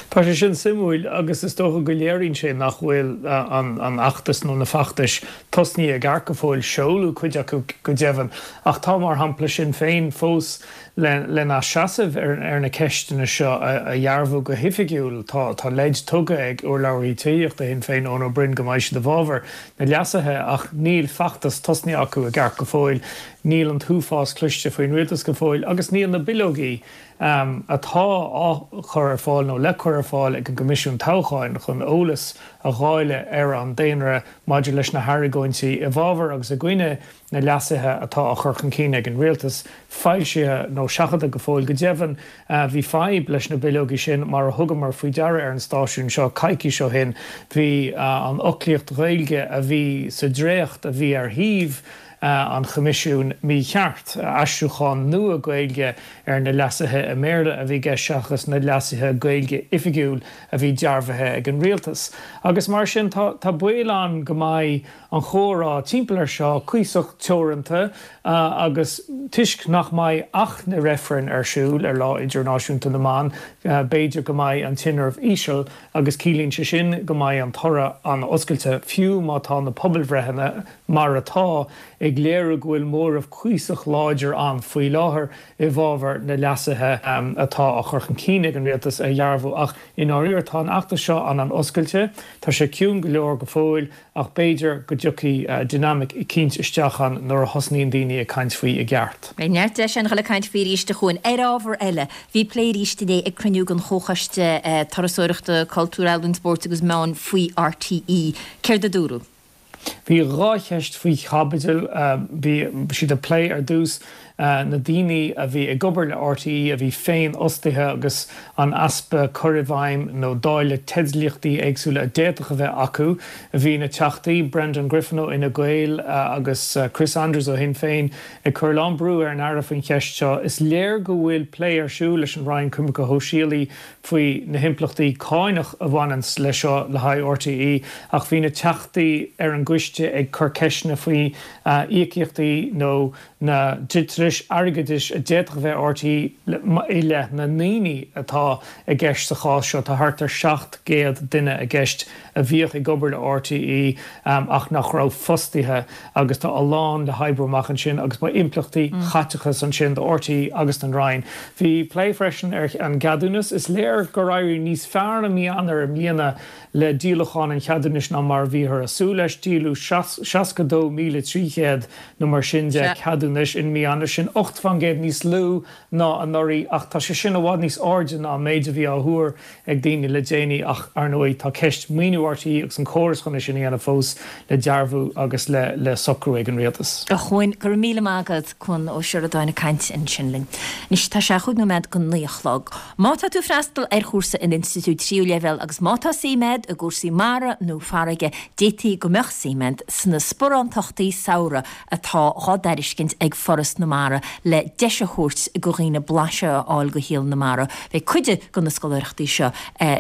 Tá sé sin suimiúil agus is dócha go léiríonn sé nach bhfuil an an fheachtas nó na feachtais tosnaithe i gceart go fóill seoladh cuid acu go deimhin ach tá mar shampla Sinn Féin fós le lena seasamh ar ar na ceisteanna seo a, a dhearbhú go hoifigiúil tá tá leid tugtha ag urlabhraí tithíochta Shinn Féin Eoin Ó Broin go mbeidh siad i bhfabhar na leasuithe ach níl feachtas tosnaithe acu i gceart go fóill níl an t-uafás cloiste faoin rialtas go fóill agus níl na bileogaí um, atá á chur ar fáil nó le cur ar fáil ag an gCoimisiún Toghcháin chun eolas a dháileadh ar an daonra maidir leis na hargóintí i bhfabhar agus i gcoinne na leasuithe atá á chur chun cinn ag an rialtas foilsithe nó seachadta go fóill go deimhin uh, bhí fadhb leis na bileogaí sin mar a thugamar faoi deara ar an stáisiún seo coicís ó shin bhí uh, an fhoclaíocht Ghaeilge a bhí sa dréacht a bhí ar shuíomh an Choimisiúin mícheart aistriúchán nua Gaeilge ar na leasuithe i mBéarla a bhí i gceist seachas na leasuithe Gaeilge oifigiúil a bhí dearbhaithe ag an rialtas. Agus mar sin tá, tá baol ann go mbeidh an chomhrá timpeall ar seo cuíosach teoranta uh, agus toisc nach mbeidh ach na reifrinn ar siúl ar lá idirnáisiúnta na mban, uh, b'fhéidir go mbeidh an tinreamh íseal agus ciallaíonn sé sin go mbeidh an toradh an-oscailte fiú má tá na pobalbhreitheanna mar atá ag ag léiriú go bhfuil móramh cuíosach láidir ann faoi láthair i bhfabhar na leasuithe atá á chur chun cinn ag an rialtas a dhearbhú. Ach i ndáiríre tá an fheachtas seo an-oscailte, tá sé ciúin go leor go fóill ach b'fhéidir go dtiocfaidh dinimic eicínt isteach ann nuair a thosnaíonn daoine ag caint faoi i gceart. Beidh neart deis againn a dhul ag caint faoi arís a Chuain. Ar ábhar eile, bhí plé arís inné ag cruinniú den Chomhchoiste Turasóireachta, Cultúir, Ealaíon, Spóirt agus Meán faoi RTÉ. Céard a dúradh? Bhí dhá cheist faoi chaibidil. Bhí siad ag plé ar dtús na daoine a bhí ag obair le RTÉ a bhí féinfhostaithe agus an easpa cur i bhfeidhm nó dáileadh teidlíochtaí éagsúla a d'fhéadfadh a bheith acu. Bhí na Teachtaí, Brendan Griffin ó Fhine Gael agus Chris Andrews ó Shinn Féin ag cur a lán brú ar an Aire faoin cheist seo. Is léir go bhfuil plé ar siúl leis an Roinn Coimirce Shóisialaí faoi na himpleachtaí cánach a bhaineanns leis seo le haghaidh RTÉ ach bhí na Teachtaí ar an gcoiste ag cur ceisteanna faoi íocaíochtaí nó na dliteanais airgeadais a d'fhéadfadh a bheith ar RTÉ i leith na ndaoine atá i gceist sa chás seo. Tá thart ar seacht gcéad duine i gceist a bhíodh ag obair le RTÉ ach nach raibh fostaithe agus tá a lán le hoibriú amach ansin agus beidh impleachtaí caiteachais ansin do RTÉ agus don Roinn. Bhí plé freisin ar an gceadúnas. Is léir gur éirigh níos fearr i mí Eanáir i mbliana le díolachán an cheadúnais ná mar a bhíothar ag súil leis. Díoladh seasca dó míle trí chéad nó mar sin de cheadúnais in mí Eanáir, sin ocht faoin gcéad níos lú ná anuraidh ach tá sé sin i bhfad níos airde ná an méid a bhí á thuar ag daoine le déanaí ach, ar ndóigh, tá ceist maoiniú RTÉ agus an córas chun é sin a dhéanamh fós le dearbhú agus le socrú ag an Rialtas. A Chuain, go raibh míle maith agat, Cuan Ó Seireadáin ag caint ansin linn. Anois tá sé chúig nóiméad go naoi a chlog. Má tá tú ag freastal ar chúrsa in institiúid tríú leibhéal agus má tá suim agat i gcúrsaí mara nó farraige, d'fhéadfaí go mbeadh suim agat sna sparántachtaí samhraidh atá dhá dtairiscint ag Foras na Mara le deis a thabhairt go dhaoine blaiseadh a fháil go shaol na mara. Beidh cuid de na scoláireachtaí seo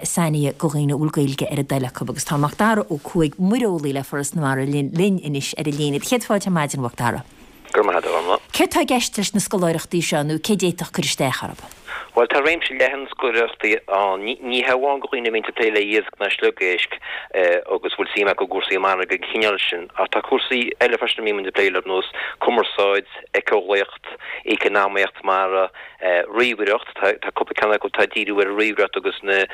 sainithe go dhaoine a bhfuil Gaeilge ar a dtoil acu agus tá Macdara Ó Cuaig, muireolaí le Foras na Mara linn anois ar an líne. Céad fáilte ar maidin, a Mhacdara. Go raibh maith agat, a Ghormfhlaith. Céard tá i gceist leis na scoláireachtaí seo nó cé d'fhéadfadh cur isteach orthu? Bhuel, tá réimse leathan scoláireachtaí ann. Ní hamháin do dhaoine a bhíonn ag plé le iasc ná sliogéisc agus a bhfuil suim acu i gcúrsaí mara den chineál sin, ach tá cúrsaí eile freisin a mbíonn muid ag plé leo, ar nós cumarsáid, éiceolaíocht, éiceanamaíocht mara, ríomhaireacht, tá cúpla ceann acu atá ag díriú ar an ríomhaireacht agus na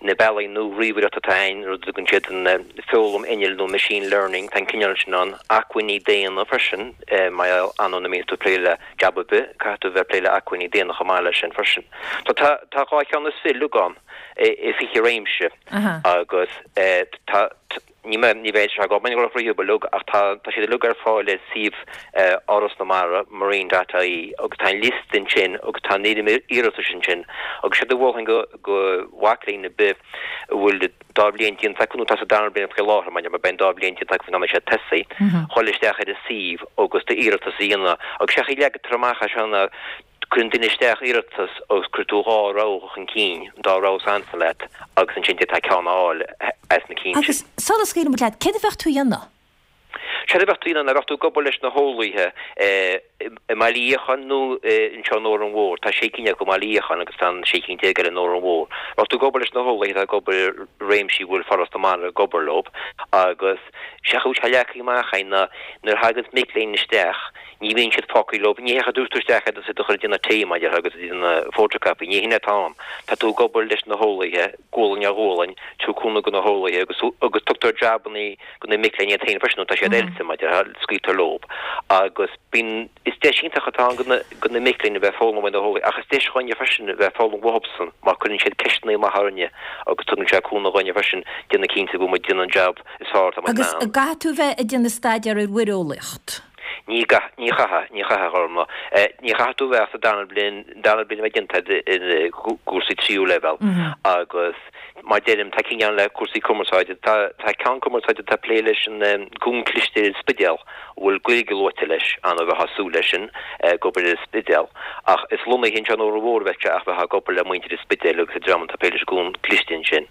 na bealaí nua ríomhaireachta atá ann, rud a dtugann siad an foghlaim innill nó machine learning, tá an cineál sin ann, acmhainní daonna freisin, mar gheall ar ndóigh nuair a bhíonn tú ag plé le jab ar bith, caithfidh tú a bheith ag plé le acmhainní daonna chomh maith leis sin freisin. So tá tá dhá cheann is fiche uilig ann i fiche réimse agus tá ní mé ní bheidh sé agam go raibh uilig ach tá tá siad uilig ar fáil ar suíomh Fhoras na Mara, marine dot ie, agus tá an liosta ansin agus tá an fhoirm iarratais ansin agus séard a mholfainn go go mhac léinn ar bith a bhfuil dá bhliain déanta acu nó tá sa dara bliain faoi láthair mar beidh an dá bhliain déanta acu faoin am a mbeidh siad tosaithe, dhul isteach ar an suíomh agus d'iarratas a dhéanamh. Agus sé an chaoi a leagtar amach é seo ná cuireann duine isteach iarratas agus cuireann tú dhá rogha chun cinn, an dá rogha is ansa leat agus ansin d'fhéadfá ceann a fháil as na cinn sin. Agus sula scaoileann muid leat, céard a bheadh tú a dhéanamh? Séard a bheadh tú a dhéanamh ná bheadh tú ag obair leis na heolaithe i mBaile Fhiacháin nó anseo in Órán Mhór. Tá sé cinn acu i mBaile Fhiacháin agus tá an sé cinn déag eile in Órán Mhór. Bheadh tú ag obair leis na heolaithe atá ag obair i réimsí a bhfuil Foras na Mara ag obair leo agus sé an chaoi a bhfuil sé leagtha amach againn ná nuair a thaganns mic léinn isteach ní bhíonn siad fágtha leo, ní hé go dtabharfar tú isteach iad agus iad a chur ag déanamh tae mar a déarfá agus ag déanamh photocopy, ní hin atá ann. Tá tú ag obair leis na heolaithe, gualainn ar ghualainn, tú ag cúnamh do na heolaithe agus agus tugtar jabannaí do na mic léinn iad féin freisin nó tá siad oilte mar a déarfá, scaoiltear leo agus bíonn, is deis iontach atá ann do na mic léinn a bheith ag foghlaim ó na heolaithe ach is deis dhúinne freisin a bheith ag foghlaim uathubsan mar cuireann siad ceisteanna maithe orainne agus tugann sé cúnamh dhúinne freisin déanamh cinnte go bhfuil muid ag déanamh an jab is fearr atá muid in Agus ann. an gcaithfidh tú bheith ag déanamh staidéar ar mhuireolaíocht? Ní ní chaithfidh, ní chaithfidh, a Ghormfhlaith. Ní chaithfidh tú bheith ach sa darna bliain, darna bliain a bheith déanta agat i gcúrsaí tríú leibhéal agus mar deirim, tá cinn ann le cúrsaí cumarsáide, tá tá ceann cumarsáide atá ag plé leis an gúm cliste ar an Spidéal, a bhfuil Gaeilge luaite leis, an bheifeá ag súil leis sin, ag obair ar an Spidéal. Ach is lonnaithe anseo in Órán Mhór a bheadh sé ach bheifeá ag obair le muintir an Spidéil agus an dream atá ag plé leis an gúm cliste ansin.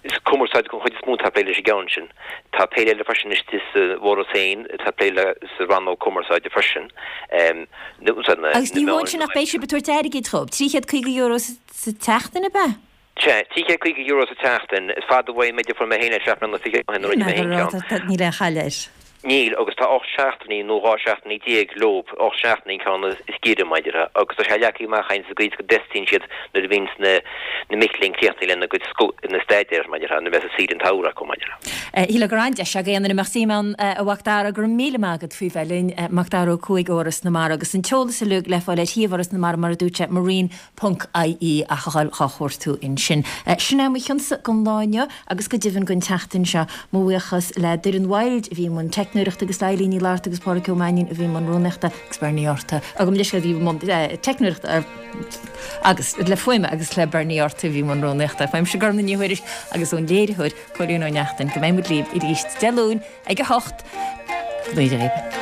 Is cumarsáid den chuid is mó atá ag plé leis an gceann sin. Tá péire eile freisin istigh sa bhForas féin atá ag plé le sa rannóg cumarsáide freisin. Agus ní hamháin sin ach beidh sibh ag tabhairt airgid dhóibh, trí chéad caoga euro sa tseachtain ab ea? Sea, trí chéad caoga euro sa tseachtain. Is fada uaidh an méid a fuair mé féin le seacht mbliana fichead ó shin nuair a rinne mé féin ceann. Níl aon chaill air. Níl, agus tá ocht seachtainí nó dhá seachtainí déag leob, ocht seachtainí an ceann is giorra, mar a déarfá, agus tá sé leagtha amach againn sa gcaoi is go dteastaíonn siad nuair a bhíonns na na mic léinn críochnaithe lena gcuid na staidéir, mar a déarfá, nuair a bheas an saoire an tsamhraidh acu, mar a déarfá. Shílfeá gur an-deis ag aon duine a mbeadh suim ann, a Mhac Dara, go raibh míle maith agat faoi bheith linn, Macdara Ó Cuaig ó Fhoras na Mara, agus an t-eolas uilig le fáil ar shuíomh Fhoras na Mara, mar a dúirt sé, marine ponc ie ach a dhul dhá chuartú ansin. Sin é mo chionsa don lá inniu agus go deimhin don tseachtain seo. Mo bhuíochas le Doireann Wild a bhí i mbun teicneoireachta agus le Eilín Ní Fhlatharta agus Pádraic Ó Mainnín a bhí i mbun rúnaíochta agus Bernie Arthur agam leis a bhí i mbun teicneoireachta agus le fuaime agus le Bernie Arthur a bhí i mbun rúnaíochta. Uaimse Gormfhlaith Ní Thuairisg agus ón léiritheoir Cóilín Ó Neachtain go mbeidh muid libh arís Dé Luain ag a hocht. Go dtí.